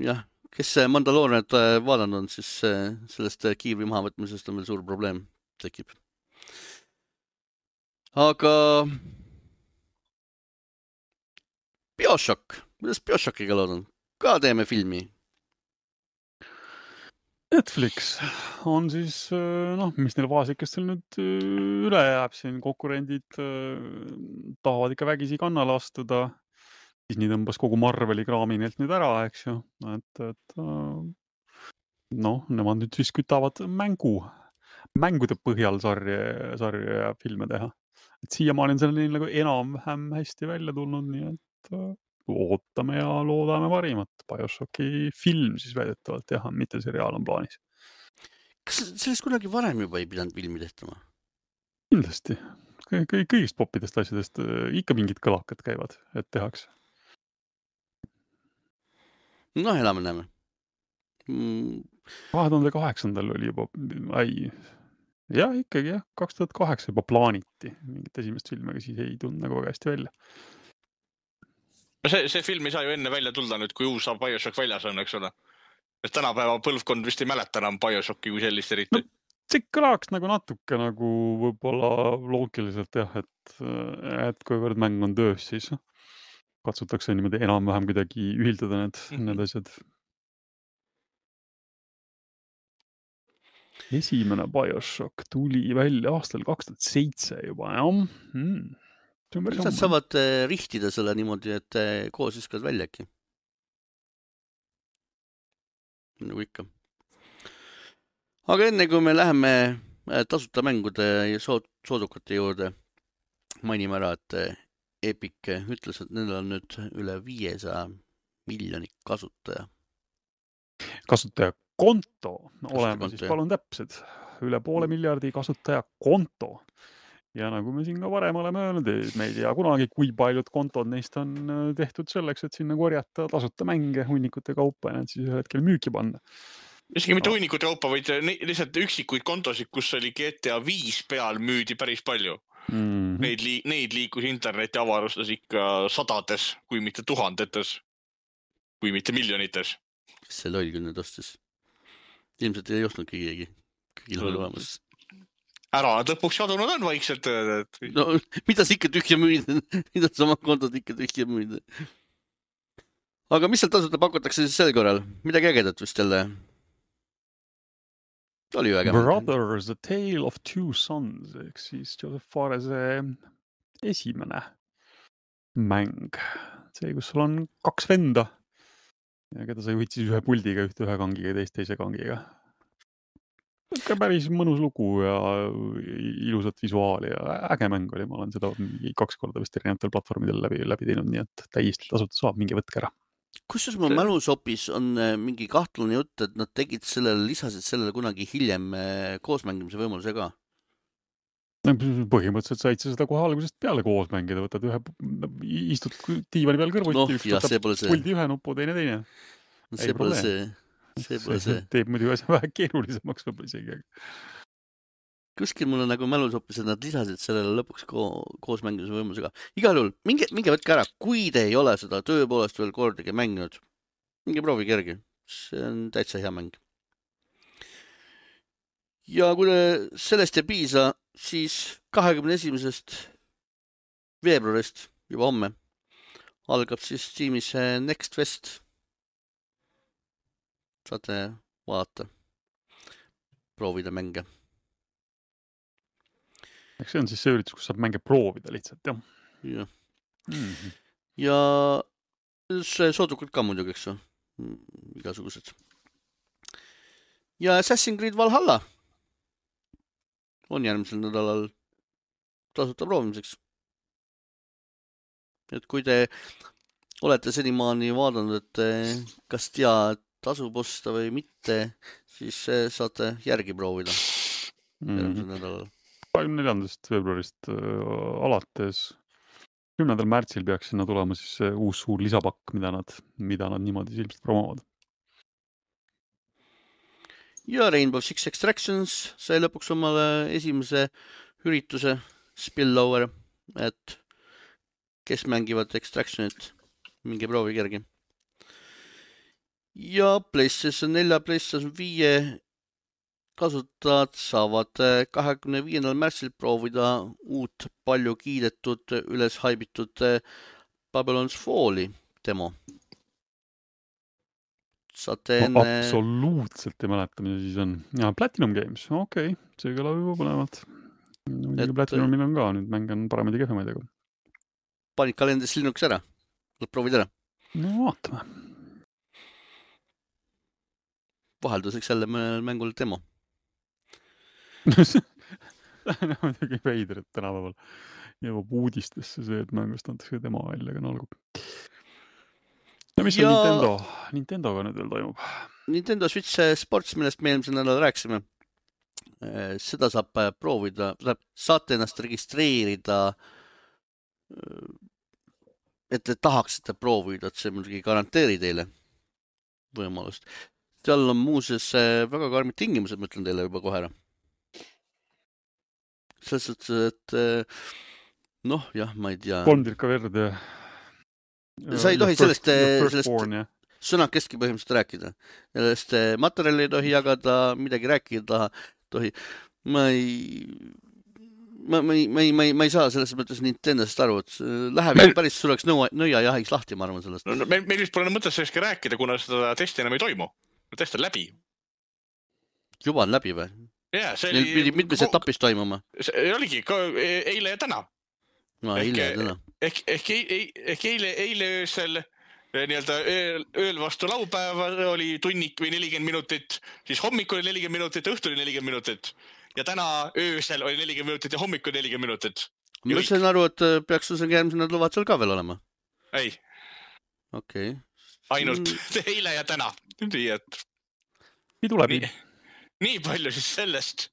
Speaker 1: Jah, kes Mandaloorianit vaadanud on, siis sellest kiivri mahavõtmisest on veel suur probleem tekib. Aga Bioshock, kuidas Bioshockiga lood on? Ka teeme filmi.
Speaker 2: Netflix on siis, noh, mis neil vaasikestel nüüd üle jääb siin, konkurendid tahavad ikka vägisi kannale astuda. Siis nii tõmbas kogu Marveli kraami neilt nüüd ära, eks ju. Et, et noh, nemad nüüd siis kütavad mängu, mängude põhjal sarja, sarja ja filme teha. Et siiamaani on selle neil nagu enam-vähem hästi välja tulnud, nii et ootame ja loodame parimat. BioShocki film siis väidetavalt jah, mitte seriaal on plaanis.
Speaker 1: Kas sellest kunagi varem juba ei pidanud filmi tehtama?
Speaker 2: Kindlasti. Kõigist popidest asjadest ikka mingid kõlakad käivad, et tehakse.
Speaker 1: No elame näeme. Mm.
Speaker 2: kahe tuhande kaheksandal oli juba, ai, jah, ikkagi jah, kaks tuhat kaheksa juba plaaniti mingit esimest filmi, aga siis ei tulnud nagu väga hästi välja.
Speaker 3: No see, see film ei saa ju enne välja tulda nüüd, kui uus BioShock väljas on, eks ole. Et tänapäeva põlvkond vist ei mäleta enam BioShocki kui sellist eriti.
Speaker 2: No, see kõlaks nagu natuke nagu võib-olla loogiliselt jah, et, et kuivõrd mäng on töös, siis katsutakse niimoodi enam-vähem kuidagi ühildada need, mm-hmm. need asjad. Esimene BioShock tuli välja aastal kaks tuhat seitse juba, jah. Hmm.
Speaker 1: Nad saavad rihtida selle niimoodi, et koos viskavad välja äkki. Nagu ikka. Aga enne kui me läheme tasuta mängude ja soodukate juurde, mainime ära, et Epic ütles, et nendel on nüüd üle viiesaja miljoni kasutaja.
Speaker 2: Kasutaja konto oleme, siis palun täpsed. Üle poole miljardi kasutaja konto. Ja nagu me siin ka varem oleme öelnud, me ei tea kunagi, kui paljud kontod neist on tehtud selleks, et sinna korjata tasuta mänge hunnikute kaupa ja need siis ühel hetkel müüki panna.
Speaker 3: Isegi mitte hunnikute kaupa, vaid lihtsalt üksikuid kontosid, kus oli G T A viis peal müüdi päris palju. Mm-hmm. Neid, li neid liikus interneti avarustas ikka sadades, kui mitte tuhandetes, kui mitte miljonites.
Speaker 1: Kes see loll küll nüüd ostis? Ilmselt ei ostnud keegi. Kõigil oli olemas.
Speaker 3: Ära, nad lõpuks jadunud on vaikselt.
Speaker 1: No, mida sa ikka tühja müüd? Mida sa oma kontod ikka tühja müüd? Aga mis seal tasuta pakutakse siis sel korral? Midagi ägedat vist jälle? Oli ju ägemat.
Speaker 2: Brothers, The Tale of Two Sons, ehk siis Joseph Farese esimene mäng. See, kus sul on kaks venda ja keda sa juhid siis ühe puldiga, ühte ühe kangiga ja teist teise kangiga. Ka päris mõnus lugu ja ilusat visuaali ja äge mäng oli. Ma olen seda kaks korda vist erinevatel platvormidel läbi, läbi teinud, nii et täiesti tasuta saab, mingi võtke ära.
Speaker 1: Kusjuures mu mälus on mingi kahtlane jutt, et nad tegid sellele, lisasid sellele kunagi hiljem koosmängimise võimaluse ka?
Speaker 2: Põhimõtteliselt said sa seda kohe algusest peale koos mängida, võtad ühe, istud diivani peal kõrvuti,
Speaker 1: no,
Speaker 2: üks võtab puldi ühe nupu, teine teine.
Speaker 1: No, see pole see. See pole see.
Speaker 2: Teeb muidu asja vähe keerulisemaks võib-olla isegi.
Speaker 1: Kuskil mul on nagu mälus hoopis, et nad lisasid sellele lõpuks ko koos mängimise võimalusega. Igal juhul, minge, minge võtke ära, kui te ei ole seda tööpoolest veel kordagi mänginud. Minge proovi kergi. See on täitsa hea mäng. Ja kui sellest ei piisa, siis kahekümne esimesest veebruarist juba homme algab siis Steamis Next Fest. Saate vaadata, proovida mänge.
Speaker 2: Eks see on siis see üritus, kus saab mänge proovida lihtsalt, jah?
Speaker 1: Ja, mm-hmm. ja see soodukad ka muidugi, eks ju, igasugused. Ja Assassin's Creed Valhalla on järgmisel nädalal tasuta proovimiseks. Et kui te olete senimaani vaadanud, et kas tea tasub osta või mitte, siis saate järgi proovida järgmisel nädalal.
Speaker 2: kahekümne neljandast veebruarist alates kümnendal märtsil peaks sinna tulema siis uus suur lisapakk, mida nad, mida nad niimoodi ilmselt promovad.
Speaker 1: Ja Rainbow Six Extractions sai lõpuks omale esimese ürituse Spillover, et kes mängivad Extractionit, mingi proovi kergi. Ja PlayStation nelja, PlayStation viie kasutajad saavad kahekümne viiendal märtsil proovida uut palju kiidetud, üles haibitud Babylon's Falli demo. Saate enne...
Speaker 2: Absoluutselt ei mäleta, mida siis on. Ja, Platinum Games, okei, okay. See kõlab juba põnevat. Et... Platinumil on ka, nüüd mäng on paremaid ja kehvemaid, aga...
Speaker 1: Panid kalendris Linux ära? Lõpp proovid ära?
Speaker 2: No vaatame.
Speaker 1: Vahelduseks jälle mängul demo.
Speaker 2: No, muidugi veider, et tänapäeval jõuab uudistesse see, et mängust antakse demo välja, aga no olgu. ja mis
Speaker 1: Ja-
Speaker 2: on Nintendo, Nintendoga nüüd veel toimub?
Speaker 1: Nintendo Switch Sports, millest me eelmisel nädalal rääkisime, eh, seda saab eh, proovida, saate ennast registreerida, eh, et te tahaksite proovida, et see muidugi ei garanteeri teile võimalust. Seal on muuseas eh, väga karmid tingimused, ma ütlen teile juba kohe ära. Selles suhtes, et eh, noh, jah, ma ei tea.
Speaker 2: kolm tirka verd ja
Speaker 1: Sa ei tohi
Speaker 2: ja
Speaker 1: sellest,
Speaker 2: first- ja
Speaker 1: sellest-
Speaker 2: firstborn, jah.
Speaker 1: sõnakestki põhimõtteliselt rääkida. Sellest eh, materjali ei tohi jagada, midagi rääkida tohi. Ma ei, ma, ma, ei, ma, ei, ma, ei, ma ei saa selles mõttes Nintendost aru, et see läheb
Speaker 3: Meil-
Speaker 1: päris suureks nõua, nõiajahiks lahti, ma arvan sellest.
Speaker 3: No, no, meil, meil vist pole mõtet sellestki rääkida, kuna seda testi enam ei toimu. Test on läbi.
Speaker 1: Juba on läbi või?
Speaker 3: Jaa, see
Speaker 1: Neil pidi
Speaker 3: oli...
Speaker 1: mitmes etapis toimuma.
Speaker 3: See oligi ka eile ja täna.
Speaker 1: No
Speaker 3: Ehk-
Speaker 1: eile ja täna.
Speaker 3: Ehk, ehk, ehk, ehk eile, eile öösel nii-öelda ööl, ööl vastu laupäeva oli tunnik või nelikümmend minutit, siis hommikul oli nelikümmend minutit, õhtul oli nelikümmend minutit ja täna öösel oli nelikümmend minutit ja hommikul nelikümmend minutit.
Speaker 1: Ma sain aru, et peaks sul järgmisel nädalal seal ka veel olema.
Speaker 3: Ei,
Speaker 1: Okei.
Speaker 3: ainult eile ja täna. Nii, et
Speaker 2: Pidu läbi.
Speaker 3: nii, nii palju siis sellest,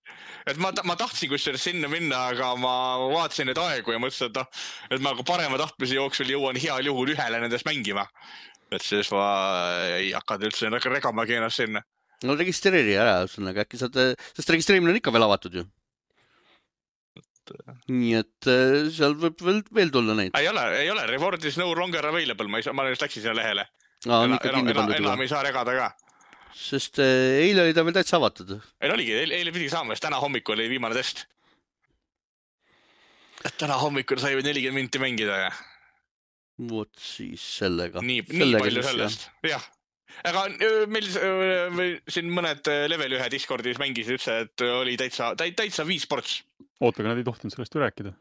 Speaker 3: et ma, ma tahtsin kusjuures sinna minna, aga ma vaatasin neid aegu ja mõtlesin, et, noh, et ma ka parema tahtmise jooksul jõuan heal juhul ühele nendest mängima. Et siis ma ei hakanud üldse regamagi ennast sinna.
Speaker 1: No registreeri ära, ühesõnaga äkki saad, sest registreerimine on ikka veel avatud ju. Nii et eh, seal võib veel, veel tulla neid.
Speaker 3: Ei ole, ei ole, reward is no longer available, ma, ei saa, ma just läksin sinna lehele.
Speaker 1: Aa, on
Speaker 3: Enam,
Speaker 1: ikka
Speaker 3: enam,
Speaker 1: kinni
Speaker 3: enam,
Speaker 1: pandud
Speaker 3: enam
Speaker 1: juba.
Speaker 3: ei saa regada ka.
Speaker 1: Sest eh, eile oli ta veel täitsa avatud.
Speaker 3: Ei oligi, eile, eile pidi saama, sest täna hommikul oli viimane test. Et täna hommikul sai või nelikümmend minti mängida ja
Speaker 1: Vot siis sellega.
Speaker 3: nii, nii
Speaker 1: sellega
Speaker 3: palju
Speaker 1: siis,
Speaker 3: sellest. Jah. Aga öö, meil öö, meil siin mõned öö, level ühe Discordis mängisid üldse, et öö, oli täitsa, täitsa viis ports.
Speaker 2: Oota, aga nad ei tohtinud sellest ju rääkida.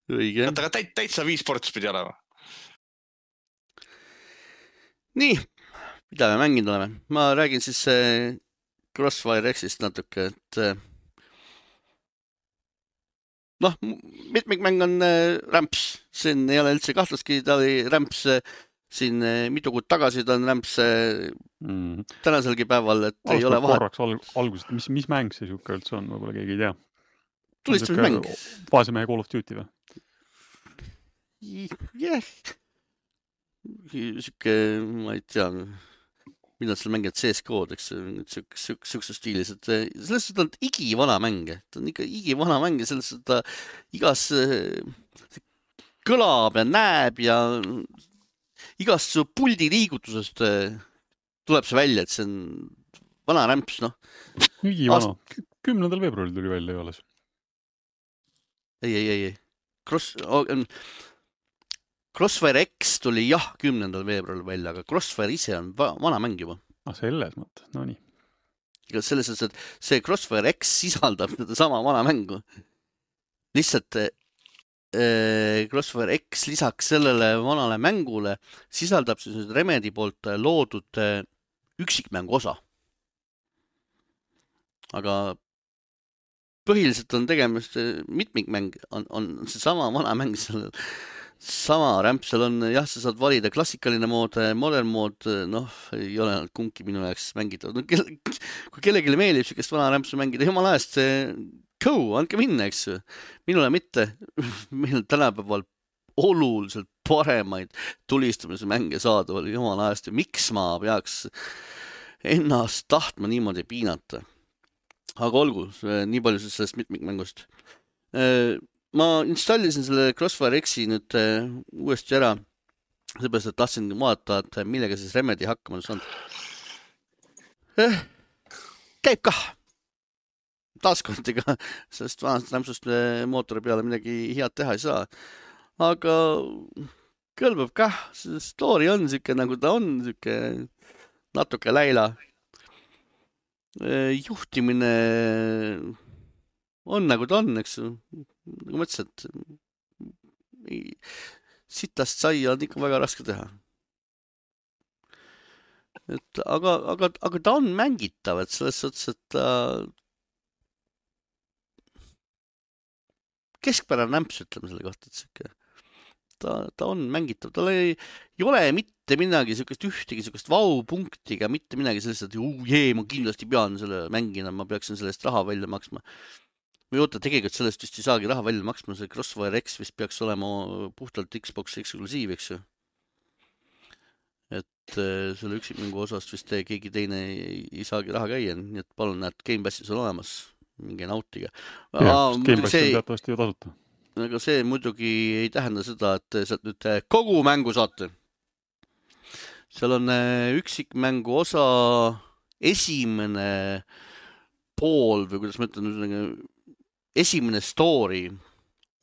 Speaker 1: Õige.
Speaker 3: Aga täit, täitsa viis ports pidi olema.
Speaker 1: Nii, mida me mänginud oleme? Ma räägin siis eh, Crossfire Xist natuke, et eh, noh, mitmikmäng on eh, rämps. Siin ei ole üldse kahtlustki, ta oli rämps eh, siin eh, mitu kuud tagasi, ta on rämps eh,
Speaker 2: Mm.
Speaker 1: tänaselgi päeval, et ei ole
Speaker 2: Alustame
Speaker 1: vahet.
Speaker 2: korraks al algusest, mis, mis mäng see siuke üldse on, võib-olla keegi ei tea.
Speaker 1: Tulistamismäng.
Speaker 2: Vaasimehe Call of Duty või?
Speaker 1: Jah. Siuke, ma ei tea, mida seal mängivad C S K -d, eks, siukse stiilis, et selles suhtes on igivana mäng, ta on ikka igivana mäng ja selles suhtes ta igas kõlab ja näeb ja igast su puldi liigutusest tuleb see välja, et see on vana rämps, noh.
Speaker 2: Igivana. Kümnendal veebruaril tuli välja ju alles.
Speaker 1: Ei, ei, ei, ei. Cross... Oh, Crossfire X tuli jah kümnendal veebruaril välja, aga Crossfire ise on va vana mäng juba.
Speaker 2: Ah, selles mõttes, no nii.
Speaker 1: Selles mõttes, et see Crossfire X sisaldab seda sama vana mängu. Lihtsalt äh, Crossfire X lisaks sellele vanale mängule sisaldab siis Remedy poolt loodud äh, üksikmängu osa. Aga põhiliselt on tegemist mitmikmäng, on, on see sama vana mäng sellel. Sama rämp, seal on, jah, sa saad valida klassikaline mood, modern mood, noh, ei ole kumbki minu jaoks mängitav. No, kelle, kui kellelegi meeldib siukest vana rämpsu mängida, jumala eest, go, andke minna, eks. Minule mitte. Meil on tänapäeval oluliselt paremaid tulistamise mänge saada, jumala eest. Miks ma peaks ennast tahtma niimoodi piinata? Aga olgu, nii palju sellest mitmikmängust. Ma installisin selle Crossfire X-i nüüd uh, uuesti ära, seepärast, et tahtsin vaadata, et millega siis Remedy hakkama saanud. Eh, käib kah. Taaskord ega sellest vanast rämpsust mootori peale midagi head teha ei saa. Aga kõlbab kah, see story on siuke nagu ta on, siuke natuke läila. Eh, juhtimine on nagu ta on, eks ju. Nagu mõtlesin, et sitast saia on ikka väga raske teha. Et, aga, aga, aga ta on mängitav, et selles suhtes, et ta keskpärane nämps, ütleme selle kohta, et siuke ta, ta on mängitav, tal ei, ei ole mitte midagi sükest ühtegi sükest vau-punktiga, mitte midagi sellest, et uu, jee, ma kindlasti pean selle mängina, ma peaksin sellest raha välja maksma. või oota, tegelikult sellest vist ei saagi raha välja maksma, see Crossfire X vist peaks olema puhtalt Xbox eksklusiiv, eks ju. Et selle üksikmängu osast vist keegi teine ei, ei saagi raha käia, nii et palun näed, Game Passis on olemas, mingi nautiga.
Speaker 2: Jah, Game Pass on teatavasti ju tasuta.
Speaker 1: Aga see muidugi ei tähenda seda, et sealt nüüd kogu mängu saate. Seal on üksikmängu osa esimene pool või kuidas ma ütlen, esimene story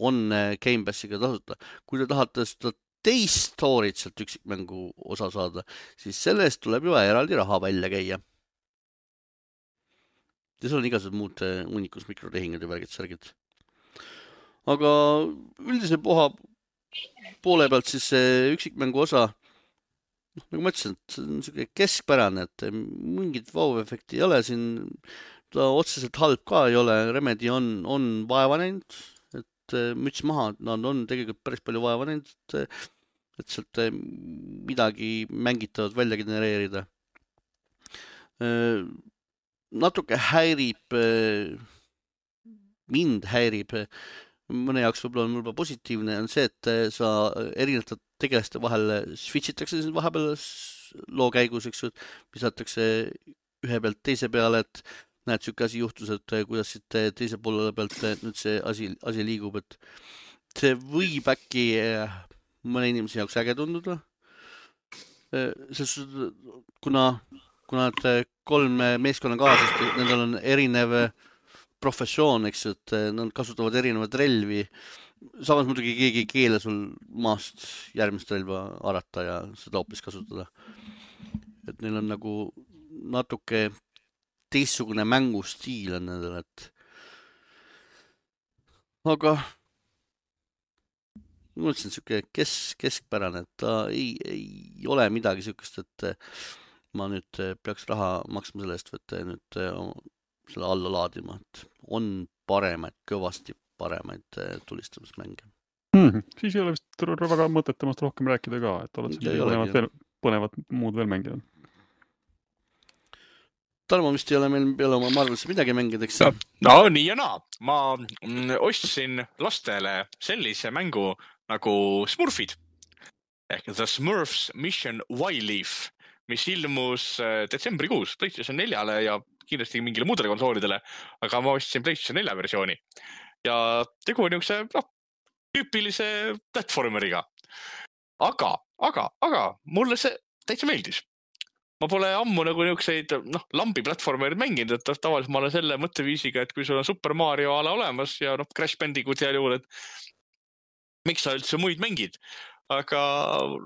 Speaker 1: on Game Passiga tasuta. Kui te tahate seda teist storyt sealt üksikmängu osa saada, siis sellest tuleb juba eraldi raha välja käia. Ja seal on igasugused muud unikus mikrotehingud ja värgid särgid. Aga üldise poha poole pealt siis üksikmängu osa, noh, nagu ma ütlesin, et see on selline keskpärane, et mingit vau-efekti ei ole siin, ta otseselt halb ka ei ole, Remedy on, on vaeva näinud, et müts maha, nad on tegelikult päris palju vaeva näinud, et, et sealt midagi mängitavat välja genereerida. Natuke häirib, mind häirib, mõne jaoks võib-olla on juba positiivne, on see, et sa erinevate tegelaste vahel switchitakse vahepeal loo käigus, eks ju, visatakse ühe pealt teise peale, et näed, siuke asi juhtus, et kuidas siit teise poole pealt nüüd see asi, asi liigub, et see võib äkki mõne inimese jaoks äge tunduda. Sest kuna, kuna et kolm meeskonna kaasast, nendel on erinev professioon, eks ju, et nad kasutavad erinevad relvi. Samas muidugi keegi ei keele sul maast järgmist relva arata ja seda hoopis kasutada. Et neil on nagu natuke teistsugune mängustiil on nendel, et aga ma mõtlesin, siuke kes, keskpärane, et ta ei, ei ole midagi siukest, et ma nüüd peaks raha maksma selle eest, et nüüd selle alla laadima, et on paremaid, kõvasti paremaid tulistamismänge.
Speaker 2: Hmm, siis ei ole vist väga mõtet temast rohkem rääkida ka, et oled siin põnevad, veel, põnevad muud veel mängida.
Speaker 1: Tarmo vist ei ole meil peale oma Marvelisse midagi mängideks.
Speaker 3: No, no nii ja naa. Ma ostsin lastele sellise mängu nagu Smurfid. Ehk The Smurfs Mission Y-Leaf, mis ilmus detsembrikuus PlayStation neljale ja kindlasti mingile muudele konsoolidele, aga ma ostsin PlayStation nelja versiooni. Ja tegu on niukse no, tüüpilise platformeriga. Aga, aga, aga mulle see täitsa meeldis. Ma pole ammu nagu niukseid no, lambi platformerid mänginud, et tavaliselt ma olen selle mõtteviisiga, et kui sul on Super Mario ala olemas ja no, Crash Bandicoot seal juhul, et miks sa üldse muid mängid? Aga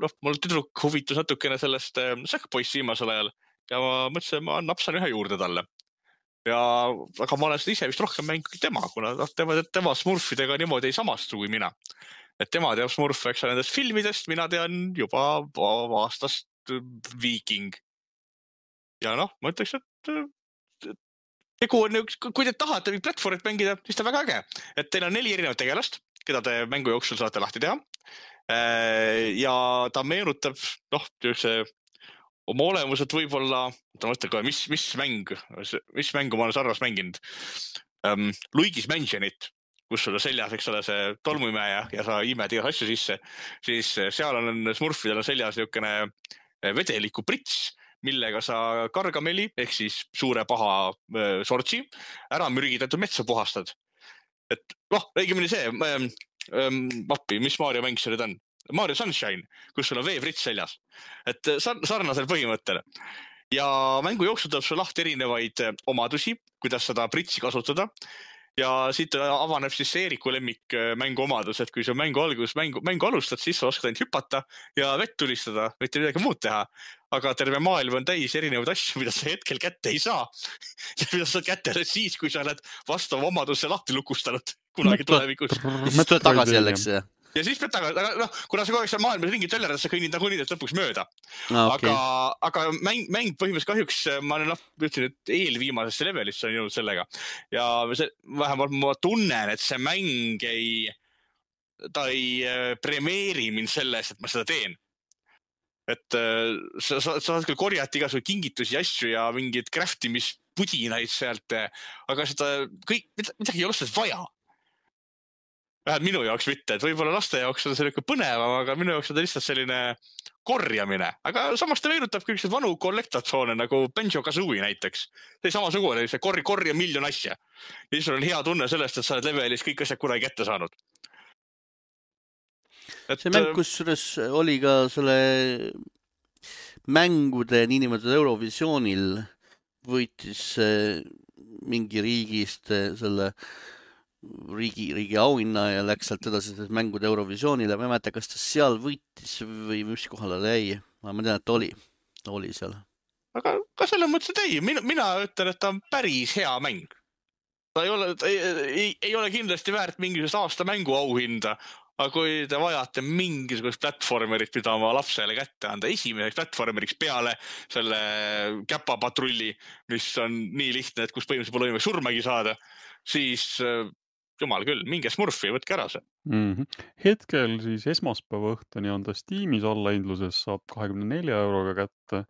Speaker 3: no, mul tüdruk huvitus natukene sellest Sackboysi viimasel ajal ja ma mõtlesin, ma napsan ühe juurde talle. Ja aga ma olen seda ise vist rohkem mänginud tema, kuna tema, tema Smurfidega niimoodi ei samastu kui mina. Et tema teab Smurfe, eks nendest filmidest, mina tean juba aastast Viking. Ja noh, ma ütleks, et tegu on, kui te tahate platvormit mängida, siis ta väga äge. Et teil on neli erinevat tegelast, keda te mängu jooksul saate lahti teha. Ja ta meenutab, noh, see oma olemuselt võib-olla, ta mõtleb kohe, mis, mis mäng, mis mängu ma olen sarvas mänginud. Um, Luigi's Mansionit, kus sul on seljas, eks ole, see tolmuimeja ja sa imed igas asju sisse, siis seal on Smurfidel on seljas niukene vedeliku prits, millega sa kargameli, ehk siis suure paha sortsi, ära mürgitatud metsa puhastad. Et noh, õigemini see, ähm, ähm, vappi, mis Mario mäng see nüüd on? Mario Sunshine, kus sul on veeprits seljas. Et sarnasel põhimõttel. Ja mängu jooksul tuleb sul lahti erinevaid omadusi, kuidas seda pritsi kasutada. Ja siit avaneb siis Eeriku lemmik mängu omadus, et kui sa mängu algus mängu, mängu alustad, siis sa oskad ainult hüpata ja vett tulistada, mitte midagi muud teha. Aga terve maailm on täis erinevaid asju, mida sa hetkel kätte ei saa. Ja mida sa saad kätte siis, kui sa oled vastava omaduse lahti lukustanud kunagi tulevikus.
Speaker 1: Ja siis tuleb tagasi jälleks, jah?
Speaker 3: Ja siis pead tagasi, aga noh, kuna sa kogu aeg seal maailmas ringid töllerad, sa kõnnid nagu nidest lõpuks mööda.
Speaker 1: No, okay.
Speaker 3: Aga, aga mäng, mäng põhimõtteliselt kahjuks, ma olen noh, ütlen, et eelviimasesse levelisse on jõudnud sellega. Ja see, vähemalt ma tunnen, et see mäng ei, ta ei premeeri mind selles, et ma seda teen. Et sa, sa, sa saad küll korjata igasugu kingitusi asju ja mingid craftimist-pudinaid sealt, aga seda kõik, midagi ei ole sellest vaja. Vähemalt minu jaoks mitte, et võib-olla laste jaoks on selline põnevam, aga minu jaoks on ta lihtsalt selline korjamine. Aga samas ta meenutab kõik see vanu kollektatsioone nagu Banjo-Kazooie näiteks. See samasugune, see korja, korja miljon asja. Ja siis on hea tunne sellest, et sa oled levelis kõik asjad kunagi kätte saanud.
Speaker 1: Et, see mäng, kusjuures oli ka selle mängude niinimetatud Eurovisioonil võitis mingi riigist selle riigi, riigi auhinna ja läks sealt edasi mängude Eurovisioonile. Ma ei mäleta, kas ta seal võitis või mis kohal jäi. Ma tean, et ta oli, ta oli seal.
Speaker 3: Aga ka selle mõttes, et ei, mina, mina ütlen, et ta on päris hea mäng. Ta ei ole, ta ei, ei, ei ole kindlasti väärt mingisugust aasta mängu auhinda. Aga kui te vajate mingisugust platformerit, mida oma lapsele kätte anda, esimeseks platformeriks peale selle käpapatrulli, mis on nii lihtne, et kus põhimõtteliselt pole võimalik surmagi saada, siis jumal küll, minge Smurfi, võtke ära see.
Speaker 2: Mm-hmm. Hetkel siis esmaspäeva õhtuni on ta Steamis allahindluses, saab kahekümne nelja euroga kätte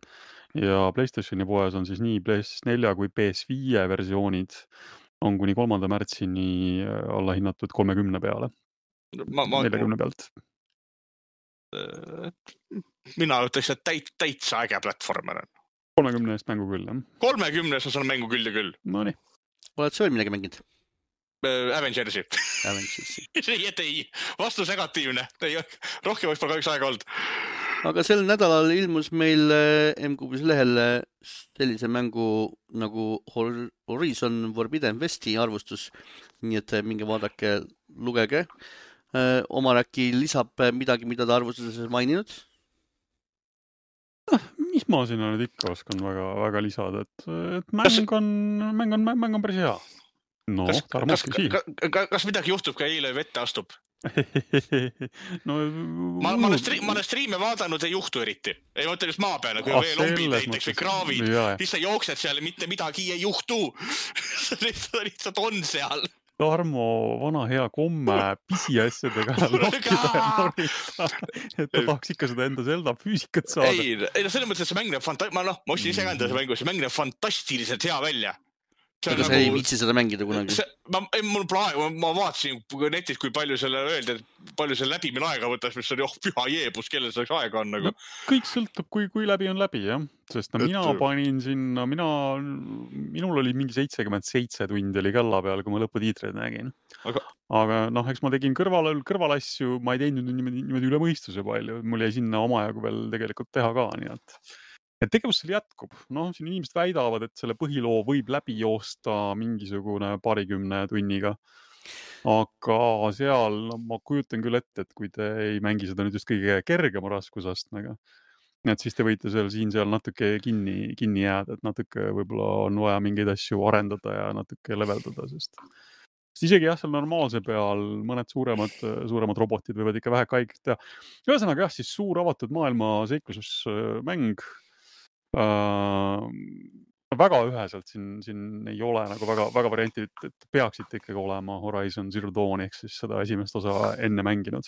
Speaker 2: ja PlayStationi poes on siis nii P S neli kui P S viis versioonid on kuni kolmanda märtsini allahinnatud kolmekümne peale.
Speaker 3: Ma, ma,
Speaker 2: neljakümne pealt.
Speaker 3: Mina ütleks, et täit, täitsa äge platvormer on.
Speaker 2: kolmekümne eest mängu küll, jah?
Speaker 3: kolmekümne eest on mängu küll ja küll.
Speaker 2: No nii.
Speaker 1: Oled sa veel midagi mänginud?
Speaker 3: Avengersi.
Speaker 1: Avengersi.
Speaker 3: ei, et ei. Vastus negatiivne. Ei, rohkem oleks pole kahjuks aega olnud.
Speaker 1: Aga sel nädalal ilmus meil M-Kuubis lehel sellise mängu nagu Horizon Forbidden Westi arvustus. Nii et minge vaadake, lugege. Omar äkki lisab midagi, mida ta arvustuses maininud?
Speaker 2: Mis ma sinna nüüd ikka oskan väga, väga lisada, et, et mäng on, mäng on, mäng on päris hea. No,
Speaker 3: kas, kas, kas, kas midagi juhtub, kui eile vette astub?
Speaker 2: no,
Speaker 3: ma, ma, olen stri- ma olen striime vaadanud, ei juhtu eriti. Ei mõtle just maa peale, kui ah, veel lombid näiteks või kraavid, siis sa jooksed seal ja mitte midagi ei juhtu. lihtsalt, lihtsalt on seal.
Speaker 2: Tarmo vana hea komme pisiasjadega lokkida ja norida, et ta tahaks ikka seda enda Zelda füüsikat saada.
Speaker 3: Ei, ei no selles mõttes, et see mäng näeb fanta-, ma noh, ma ostsin ise ka enda see mängu, see mäng näeb fantastiliselt hea välja.
Speaker 1: Aga sa nagu... ei viitsi seda mängida kunagi?
Speaker 3: See, ma, mul praegu, ma vaatasin netis, kui palju selle öeldi, et palju selle läbi min aega võtas, mis oli, oh, püha jeebus, kellel selleks aega on nagu.
Speaker 2: No, kõik sõltub, kui, kui läbi on läbi, jah. Sest no, mina et... panin sinna, mina, minul oli mingi seitsekümmend seitse tundi oli kella peal, kui ma lõputiitreid nägin. Aga, Aga noh, eks ma tegin kõrval, kõrvalasju, ma ei teinud niimoodi, niimoodi üle mõistuse palju. Mul jäi sinna omajagu veel tegelikult teha ka, nii et... Et tegevus seal jätkub. No, siin inimesed väidavad, et selle põhiloo võib läbi joosta mingisugune parikümne tunniga. Aga seal no, ma kujutan küll ette, et kui te ei mängi seda nüüd just kõige kergema raskusastmega, et siis te võite seal siin-seal natuke kinni, kinni jääda, et natuke võib-olla on vaja mingeid asju arendada ja natuke leveldada, sest isegi jah, seal normaalse peal mõned suuremad, suuremad robotid võivad ikka vähe kaikit teha. Ühesõnaga jah, siis suur avatud maailma seiklusmäng. Uh, väga üheselt siin, siin ei ole nagu väga, väga varianti, et peaksid ikkagi olema Horizon Zero Dawn ehk siis seda esimest osa enne mänginud,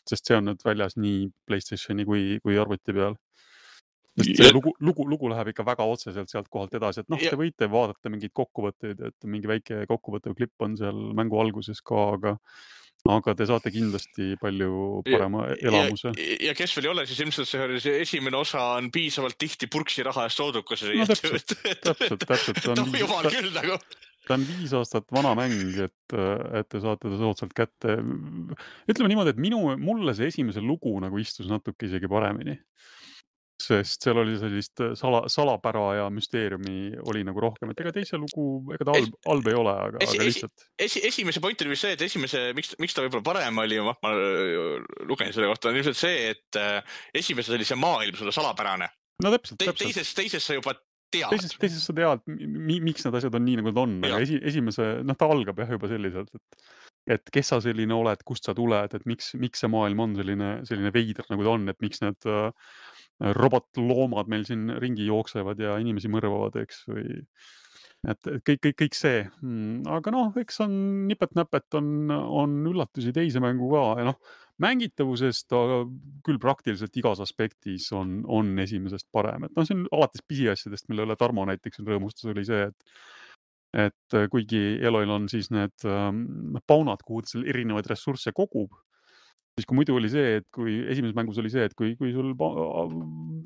Speaker 2: sest see on nüüd väljas nii PlayStationi kui, kui arvuti peal. Sest see lugu, lugu, lugu läheb ikka väga otseselt sealt kohalt edasi, et noh, te võite vaadata mingeid kokkuvõtteid, et mingi väike kokkuvõttev klipp on seal mängu alguses ka, aga aga te saate kindlasti palju parema elamuse.
Speaker 3: Ja, ja kes veel ei ole, siis ilmselt see, see esimene osa on piisavalt tihti purksi raha eest soodukas.
Speaker 2: No täpselt, täpselt, täpselt.
Speaker 3: Ta on, jumal küll nagu.
Speaker 2: Ta on viis aastat vana mäng, et, et te saate ta soodsalt kätte. Ütleme niimoodi, et minu, mulle see esimese lugu nagu istus natuke isegi paremini. Sest seal oli sellist sala, salapära ja müsteeriumi oli nagu rohkem, et ega teise lugu, ega ta halb, halb ei ole, aga,
Speaker 3: esi,
Speaker 2: aga lihtsalt.
Speaker 3: Esi, esimese point oli see, et esimese, miks, miks ta võib-olla parem oli, ma, ma lugesin selle kohta, on ilmselt see, et esimeses oli see maailm sulle salapärane.
Speaker 2: No täpselt,
Speaker 3: Te,
Speaker 2: täpselt.
Speaker 3: Teises, teises sa juba tead.
Speaker 2: Teises, teises sa tead, mi, miks need asjad on nii, nagu nad on, aga esi, esimese, noh, ta algab jah juba selliselt, et et kes sa selline oled, kust sa tuled, et miks, miks see maailm on selline, selline veider, nagu ta on, et miks need uh, robotloomad meil siin ringi jooksevad ja inimesi mõrvavad, eks, või et kõik, kõik, kõik see. Aga noh, eks on nipet-näpet on, on üllatusi teise mängu ka ja noh, mängitavusest küll praktiliselt igas aspektis on, on esimesest parem. Et noh, see on alates pisiasjadest, mille üle Tarmo näiteks rõõmustas, oli see, et et kuigi Eloil on siis need ähm, paunad, kuhu ta seal erinevaid ressursse kogub, siis kui muidu oli see, et kui esimeses mängus oli see, et kui, kui sul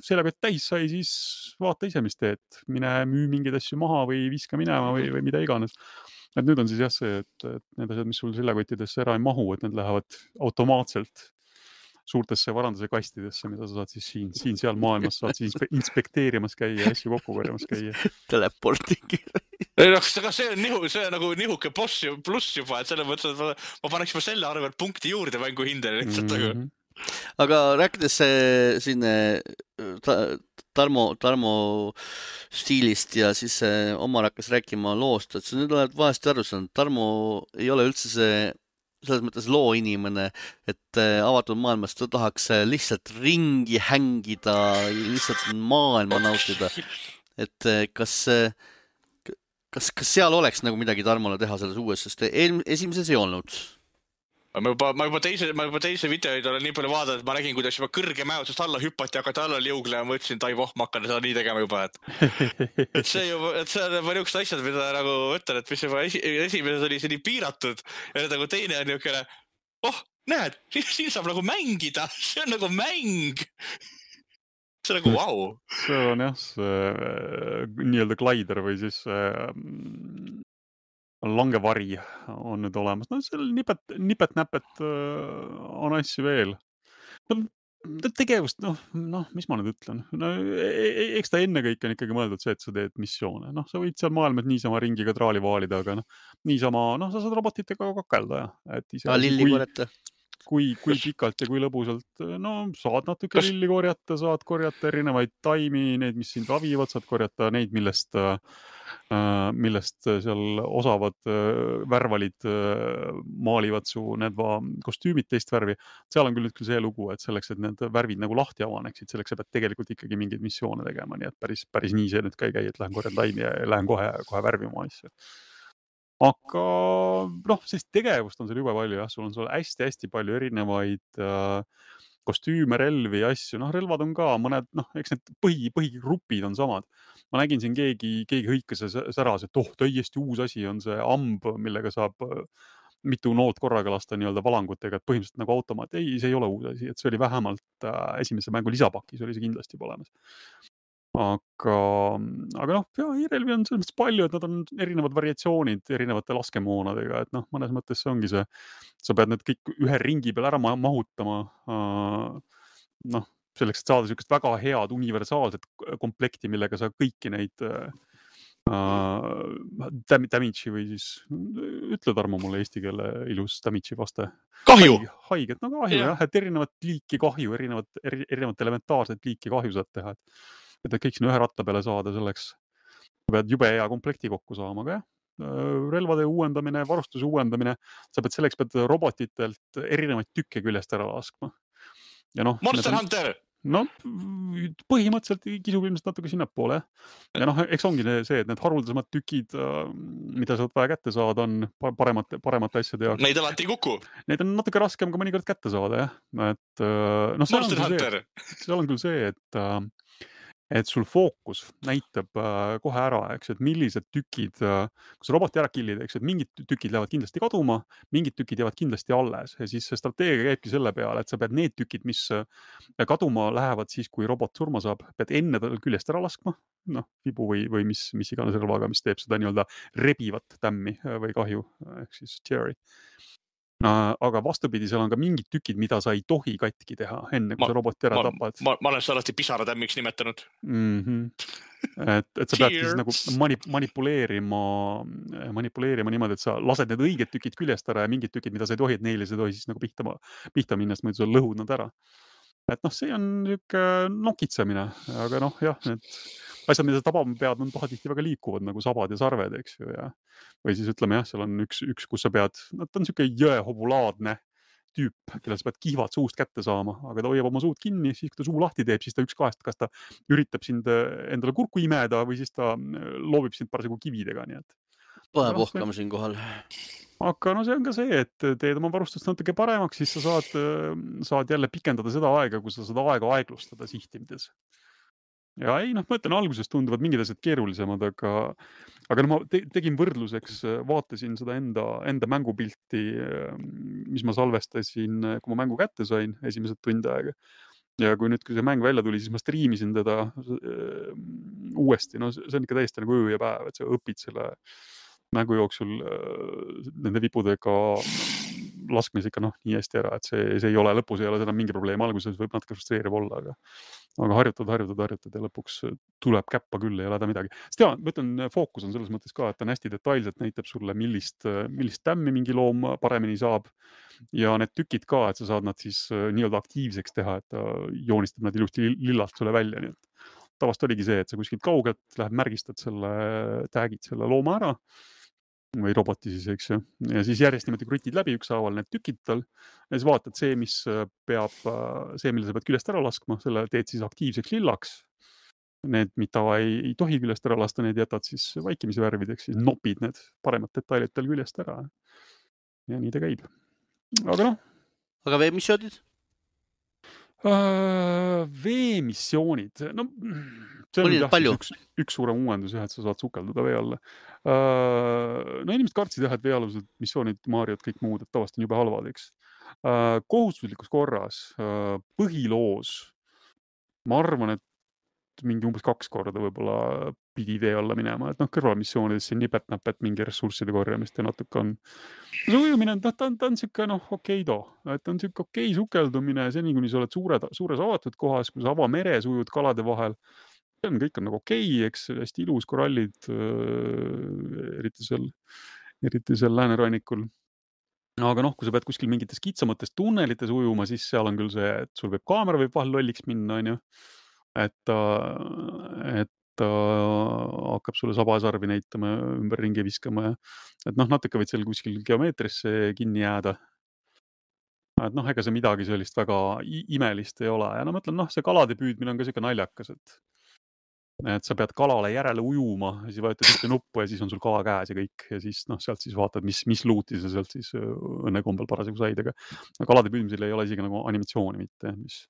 Speaker 2: sellega täis sai, siis vaata ise, mis teed. Mine müü mingeid asju maha või viska minema või, või mida iganes. Et nüüd on siis jah see, et, et need asjad, mis sul seljakottidesse ära ei mahu, et need lähevad automaatselt suurtesse varanduse kastidesse, mida sa saad siis siin, siin seal maailmas saad siis inspekteerimas käia ja asju kokku korjamas käia.
Speaker 1: Teleportingi.
Speaker 3: Ei, noh, see on nihu, see on nagu nihuke pluss, pluss juba, et selle mõttes, et ma, ma paneks juba selle arvelt punkti juurde mängu hindele lihtsalt. Mm -hmm.
Speaker 1: Aga rääkides siin Tarmo, Tarmo stiilist ja siis Omar hakkas rääkima loost, et sa nüüd oled vahesti aru saanud, Tarmo ei ole üldse see selles mõttes loo inimene, et avatud maailmas ta tahaks lihtsalt ringi hängida, lihtsalt maailma nautida. Et kas, kas, kas seal oleks nagu midagi Tarmole teha selles uues, sest esimeses ei olnud?
Speaker 3: Ma juba, ma juba teise, ma juba teise videoid olen nii palju vaadanud, et ma nägin, kuidas juba kõrge mäotsust alla hüppati, hakati alla liugle ja ma ütlesin, tai voh, ma hakkan seda nii tegema juba, et, et see juba, et see on juba niisugused asjad, mida nagu ütlen, et mis juba esi, esimeses oli see nii piiratud ja nagu teine on niisugune, oh, näed, siin saab nagu mängida, see on nagu mäng. See on nagu vau. Wow.
Speaker 2: See on jah, see nii-öelda glider või siis äh, langevari on nüüd olemas. No seal nipet, nipet-näpet on asju veel. No, tegevust, noh, noh, mis ma nüüd ütlen? No, eks ta enne kõik on ikkagi mõeldud see, et sa teed missioone. Noh, sa võid seal maailmas niisama ringiga traali vaalida, aga noh, niisama, noh, sa saad robotitega kakelda. Ja. Et ise,
Speaker 1: ah, lilli kui, korjata.
Speaker 2: Kui, kui pikalt ja kui lõbusalt, no saad natuke Kas... lilli korjata, saad korjata erinevaid taimi, need, mis sind ravivad, saad korjata neid, millest millest seal osavad värvalid maalivad su need va kostüümid teist värvi. Seal on küll nüüd küll see lugu, et selleks, et need värvid nagu lahti avaneksid, selleks sa pead tegelikult ikkagi mingeid missioone tegema, nii et päris, päris nii see nüüd ka ei käi, et lähen korjan taimi ja lähen kohe, kohe värvima asju. Aga noh, sellist tegevust on seal jube palju, jah, sul on sul hästi-hästi palju erinevaid äh, kostüüme, relvi ja asju, noh, relvad on ka mõned, noh, eks need põhi, põhigrupid on samad. Ma nägin siin keegi, keegi hõikas säras, et oh, täiesti uus asi on see amb, millega saab mitu noolt korraga lasta nii-öelda valangutega, et põhimõtteliselt nagu automaat. Ei, see ei ole uus asi, et see oli vähemalt äh, esimese mängu lisapakis, oli see kindlasti olemas. Aga, aga noh, ja e-relvi on selles mõttes palju, et nad on erinevad variatsioonid erinevate laskemoonadega, et noh, mõnes mõttes see ongi see, sa pead need kõik ühe ringi peal ära mahutama, äh, noh, selleks, et saada sellist väga head universaalset komplekti, millega sa kõiki neid uh, damage'i või siis, ütle Tarmo mulle eesti keele ilus damage'i vaste.
Speaker 3: Kahju!
Speaker 2: Haiget, no kahju jah, et erinevat liiki kahju, erinevat, erinevat elementaarset liiki kahju saad teha. Et kõik sinna ühe ratta peale saada selleks, pead jube hea komplekti kokku saama, aga jah, relvade uuendamine, varustuse uuendamine, sa pead selleks pead robotitelt erinevaid tükke küljest ära laskma. Ja noh,
Speaker 3: Monster on... Hunter!
Speaker 2: No põhimõtteliselt kisub ilmselt natuke sinnapoole. Ja noh, eks ongi see, et need haruldasemad tükid, mida sa vaja kätte saada, on paremate, paremate asjade jaoks.
Speaker 3: Neid alati ei kuku.
Speaker 2: Neid on natuke raskem ka mõnikord kätte saada, jah. Et, no, seal,
Speaker 3: Monster
Speaker 2: on see, seal on küll see, et et sul fookus näitab äh, kohe ära, eks, et millised tükid, äh, kui sa roboti ära killid, eks, et mingid tükid lähevad kindlasti kaduma, mingid tükid jäävad kindlasti alles ja siis see strateegia käibki selle peale, et sa pead need tükid, mis äh, kaduma lähevad siis, kui robot surma saab, pead enne tal küljest ära laskma, noh, vibu või, või mis, mis iganes relvaga, mis teeb seda nii-öelda rebivat tämmi või kahju, ehk siis teary. Aga vastupidi, seal on ka mingid tükid, mida sa ei tohi katki teha enne, kui ma, sa roboti ära
Speaker 3: ma,
Speaker 2: tapad.
Speaker 3: Ma, ma olen seda alati pisaratämmiks nimetanud.
Speaker 2: Mm-hmm. Et, et sa pead siis nagu manip, manipuleerima, manipuleerima niimoodi, et sa lased need õiged tükid küljest ära ja mingid tükid, mida sa ei tohi, et neile sa ei tohi siis nagu pihta, pihta minna, sest muidu sa lõhud nad ära. Et noh, see on niuke nokitsemine, aga noh, jah, need asjad, mida sa tabama pead, on pahatihti väga liikuvad nagu sabad ja sarved, eks ju, ja või siis ütleme jah, seal on üks, üks, kus sa pead, no ta on siuke jõehobulaadne tüüp, kellel sa pead kihvad suust kätte saama, aga ta hoiab oma suud kinni, siis kui ta suu lahti teeb, siis ta üks kahest, kas ta üritab sind endale kurku imeda või siis ta loobib sind parasjagu kividega, nii et.
Speaker 1: Põhe puhkama siin kohal.
Speaker 2: Aga no see on ka see, et teed oma varustust natuke paremaks, siis sa saad, saad jälle pikendada seda aega, kui sa saad aega aeglustada sihtimides. Ja ei, noh, ma ütlen, alguses tunduvad mingid asjad keerulisemad, aga, aga no ma te, tegin võrdluseks, vaatasin seda enda, enda mängupilti, mis ma salvestasin, kui ma mängu kätte sain esimesed tund aega. Ja kui nüüd, kui see mäng välja tuli, siis ma striimisin teda äh, uuesti. No see on ikka täiesti nagu öö ja päev, et sa õpid selle mängu jooksul äh, nende vipudega laskmes ikka noh, nii hästi ära, et see, see ei ole, lõpus ei ole seda mingi probleem. Alguses võib natuke frustreeriv olla, aga, aga harjutad, harjutad, harjutad ja lõpuks tuleb käppa küll, ei ole häda midagi. Sest ja, ma ütlen, fookus on selles mõttes ka, et ta on hästi detailselt, näitab sulle, millist, millist tämmi mingi loom paremini saab. Ja need tükid ka, et sa saad nad siis nii-öelda aktiivseks teha, et ta joonistab nad ilusti lillalt sulle välja. Nii et tavast oligi see, et sa kuskilt kaugelt lähed, märgistad selle, tagid selle looma ära või roboti siis, eks ju. Ja siis järjest niimoodi krutid läbi ükshaaval need tükid tal ja siis vaatad see, mis peab, see, mille sa pead küljest ära laskma, selle teed siis aktiivseks lillaks. Need, mida ei, ei tohi küljest ära lasta, need jätad siis vaikimise värvideks, siis nopid need paremad detailid tal küljest ära. Ja nii ta käib. Aga noh.
Speaker 1: Aga veemissioonid?
Speaker 2: Uh, veemissioonid, no see on jah, üks, üks suurem uuendus jah, et sa saad sukelduda vee alla. Uh, no inimesed kartsid jah, et veealused missioonid, Mariot, kõik muud, et tavast on jube halvad, eks. Uh, kohustuslikus korras, uh, põhiloos, ma arvan, et mingi umbes kaks korda võib-olla pidi vee alla minema, et noh, kõrvalmissioonidesse nipet-näpet mingi ressursside korjamist ja natuke on see ujumine, ta, ta, ta on siuke noh, okei too, et on siuke okei sukeldumine, seni kuni sa oled suure, suures avatud kohas, kui sa avameres ujud kalade vahel, kõik on nagu okei, eks hästi ilus korallid, eriti seal, eriti seal läänerannikul. Aga noh, kui sa pead kuskil mingites kitsamates tunnelites ujuma, siis seal on küll see, et sul võib kaamera võib vahel lolliks minna, on ju. Et, et ta hakkab sulle sabasarvi näitama, ümber ringi viskama ja et noh, natuke võid seal kuskil geomeetrisse kinni jääda. Et noh, ega see midagi sellist väga imelist ei ole ja no mõtlen, noh, see kalade püüdmine on ka siuke naljakas, et et sa pead kalale järele ujuma ja siis vajutad ühte nuppu ja siis on sul kala käes ja kõik ja siis noh, sealt siis vaatad, mis, mis luuti sa sealt siis õnnekombel parasjagu said, aga kalade püüdmisel ei ole isegi nagu animatsiooni mitte, mis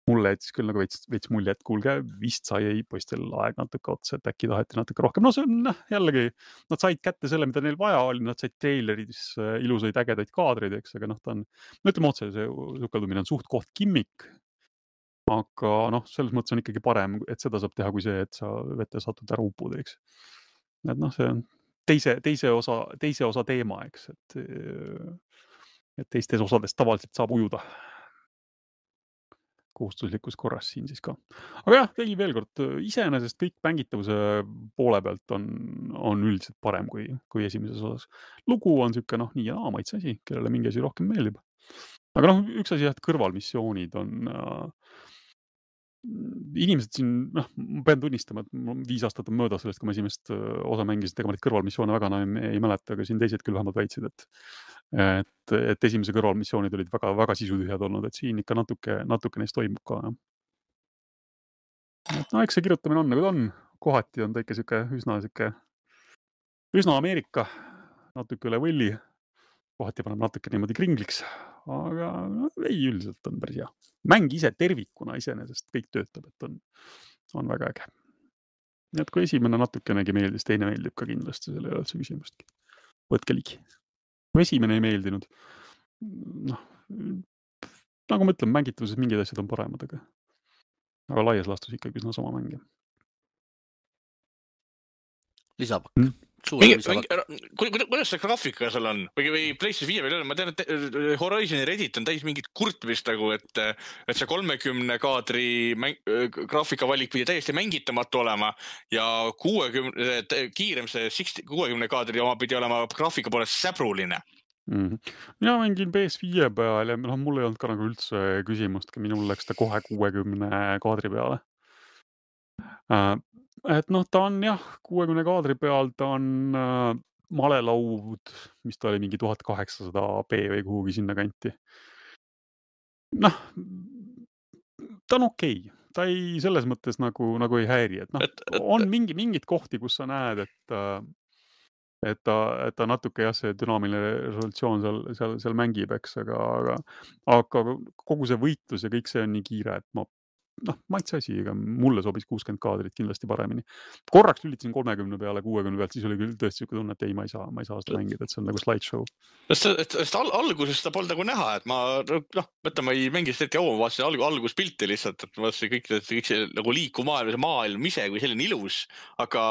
Speaker 2: mulle jättis küll nagu veits, veits mulje, et kuulge, vist sai poistel aeg natuke otsa, et äkki taheti natuke rohkem. No see on noh, jällegi, nad said kätte selle, mida neil vaja oli, nad said traileridis ilusaid ägedaid kaadreid, eks, aga noh, ta on, no ütleme otse, see sukeldumine on suht koht kimmik, aga noh, selles mõttes on ikkagi parem, et seda saab teha kui see, et sa vette satud ära upud, eks. Et noh, see on teise, teise osa, teise osa teema, eks, et, et teistes osades tavaliselt saab ujuda kohustuslikus korras siin siis ka. Aga jah, tegi veel kord, iseenesest kõik mängitavuse poole pealt on, on üldiselt parem kui, kui esimeses osas. Lugu on siuke noh, nii ja naa maitse asi, kellele mingi asi rohkem meeldib. Aga noh, üks asi jah, et kõrvalmissioonid on äh, inimesed siin, noh, ma pean tunnistama, et viis aastat on mööda sellest, kui ma esimest osa mängisin, ega ma neid kõrvalmissioone väga enam ei, ei mäleta, aga siin teised küll vähemalt väitsid, et, et, et esimese kõrvalmissioonid olid väga, väga sisutühjad olnud, et siin ikka natuke, natuke neist toimub ka. Et no, eks see kirjutamine on nagu ta on, kohati on ta ikka siuke üsna siuke, üsna Ameerika, natuke üle võlli, kohati paneb natuke niimoodi kringliks, aga no, ei, üldiselt on päris hea. Mäng ise tervikuna iseenesest kõik töötab, et on, on väga äge. Nii et kui esimene natukenegi meeldis, teine meeldib ka kindlasti, selle ei ole üldse küsimustki. Võtke ligi. Kui esimene ei meeldinud, noh, nagu ma ütlen, mängitavuses mingid asjad on paremad, aga, aga laias laastus ikkagi üsna sama mäng.
Speaker 1: Lisapakk.
Speaker 3: Mm. Kuidas see graafika seal on? Või, või PlayStation viie veel on? Ma tean, et Horizon Reddit on täis mingit kurtmist nagu, et, et see kolmekümne kaadri mäng, graafikavalik pidi täiesti mängitamatu olema ja kuuekümne, kiirem see kuuekümne kaadri oma pidi olema graafika poolest säbruline.
Speaker 2: Mm-hmm. Mina mängin P S viie peal ja no, mul ei olnud ka nagu üldse küsimust, minul läks ta kohe kuuekümne kaadri peale. Uh, et noh, ta on jah, kuuekümne kaadri peal, ta on uh, malelaud, mis ta oli mingi tuhat kaheksasada p või kuhugi sinna kanti. noh, ta on okei okay. Ta ei selles mõttes nagu, nagu ei häiri, et noh,
Speaker 3: Et, et,
Speaker 2: on mingi, mingid kohti, kus sa näed, et et ta, et ta natuke jah, see dünaamiline resolutsioon seal, seal, seal mängib, eks, aga, aga, aga kogu see võitlus ja kõik see on nii kiire, et ma noh, maitse asi, ega mulle sobis kuuskümmend kaadrit kindlasti paremini. Korraks lülitasin kolmekümne peale, kuuekümne pealt, siis oli küll tõesti siuke tunne, et ei, ma ei saa, ma ei saa seda mängida, et see on nagu slideshow.
Speaker 3: sest, et, sest al alguses seda polnud nagu näha, et ma, noh, mõtle, ma ei mängi seda hetke oma, vaatasin alg alguspilti lihtsalt, et ma vaatasin kõik, kõik see nagu liikuv maailm, maailm ise kui selline ilus, aga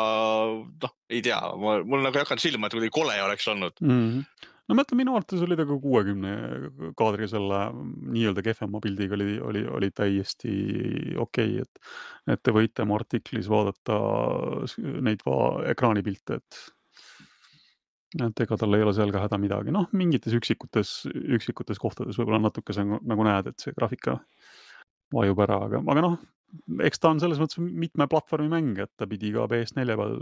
Speaker 3: noh, ei tea, ma, mul nagu ei hakanud silma, et kuidagi kole oleks olnud.
Speaker 2: Mm -hmm. No ma ütlen, minu arvates oli ta ka kuuekümne kaadri selle nii-öelda kehvema pildiga oli, oli, oli täiesti okei, okay, et, et te võite mu artiklis vaadata neid va ekraanipilte, et, et ega tal ei ole seal ka häda midagi. Noh, mingites üksikutes, üksikutes kohtades võib-olla natuke see nagu näed, et see graafika vajub ära, aga, aga noh, eks ta on selles mõttes mitme platvormi mäng, et ta pidi ka P S neli peal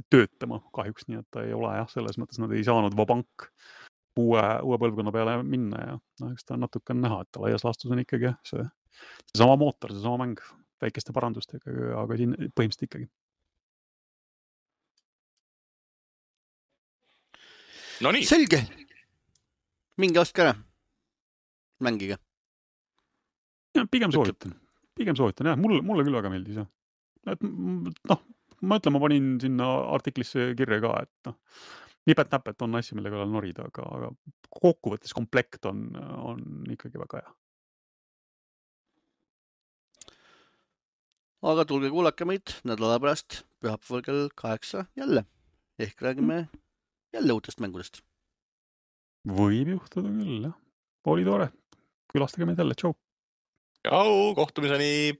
Speaker 2: töötama kahjuks, nii et ta ei ole jah, selles mõttes nad ei saanud vabank uue, uue põlvkonna peale minna ja no, eks ta natuke on näha, et ta laias laastus on ikkagi see, see sama mootor, see sama mäng väikeste parandustega, aga siin põhimõtteliselt ikkagi.
Speaker 3: No nii.
Speaker 1: Selge. Mingi ostke ära. Mängige.
Speaker 2: Ja, pigem soovitan. Pigem soovitan, jah. Mulle, mulle küll väga meeldis, jah. Et, noh, ma ütlen, ma panin sinna artiklisse kirja ka, et noh, nipet-näpet on asja, mille kallal norida, aga, aga kokkuvõttes komplekt on, on ikkagi väga hea.
Speaker 1: Aga tulge kuulake meid nädala pärast pühapäeval kell kaheksa jälle. Ehk räägime jälle uutest mängudest.
Speaker 2: Võib juhtuda küll, jah. Oli tore. Külastage meid jälle. Tšau.
Speaker 3: Jau, kohtumiseni!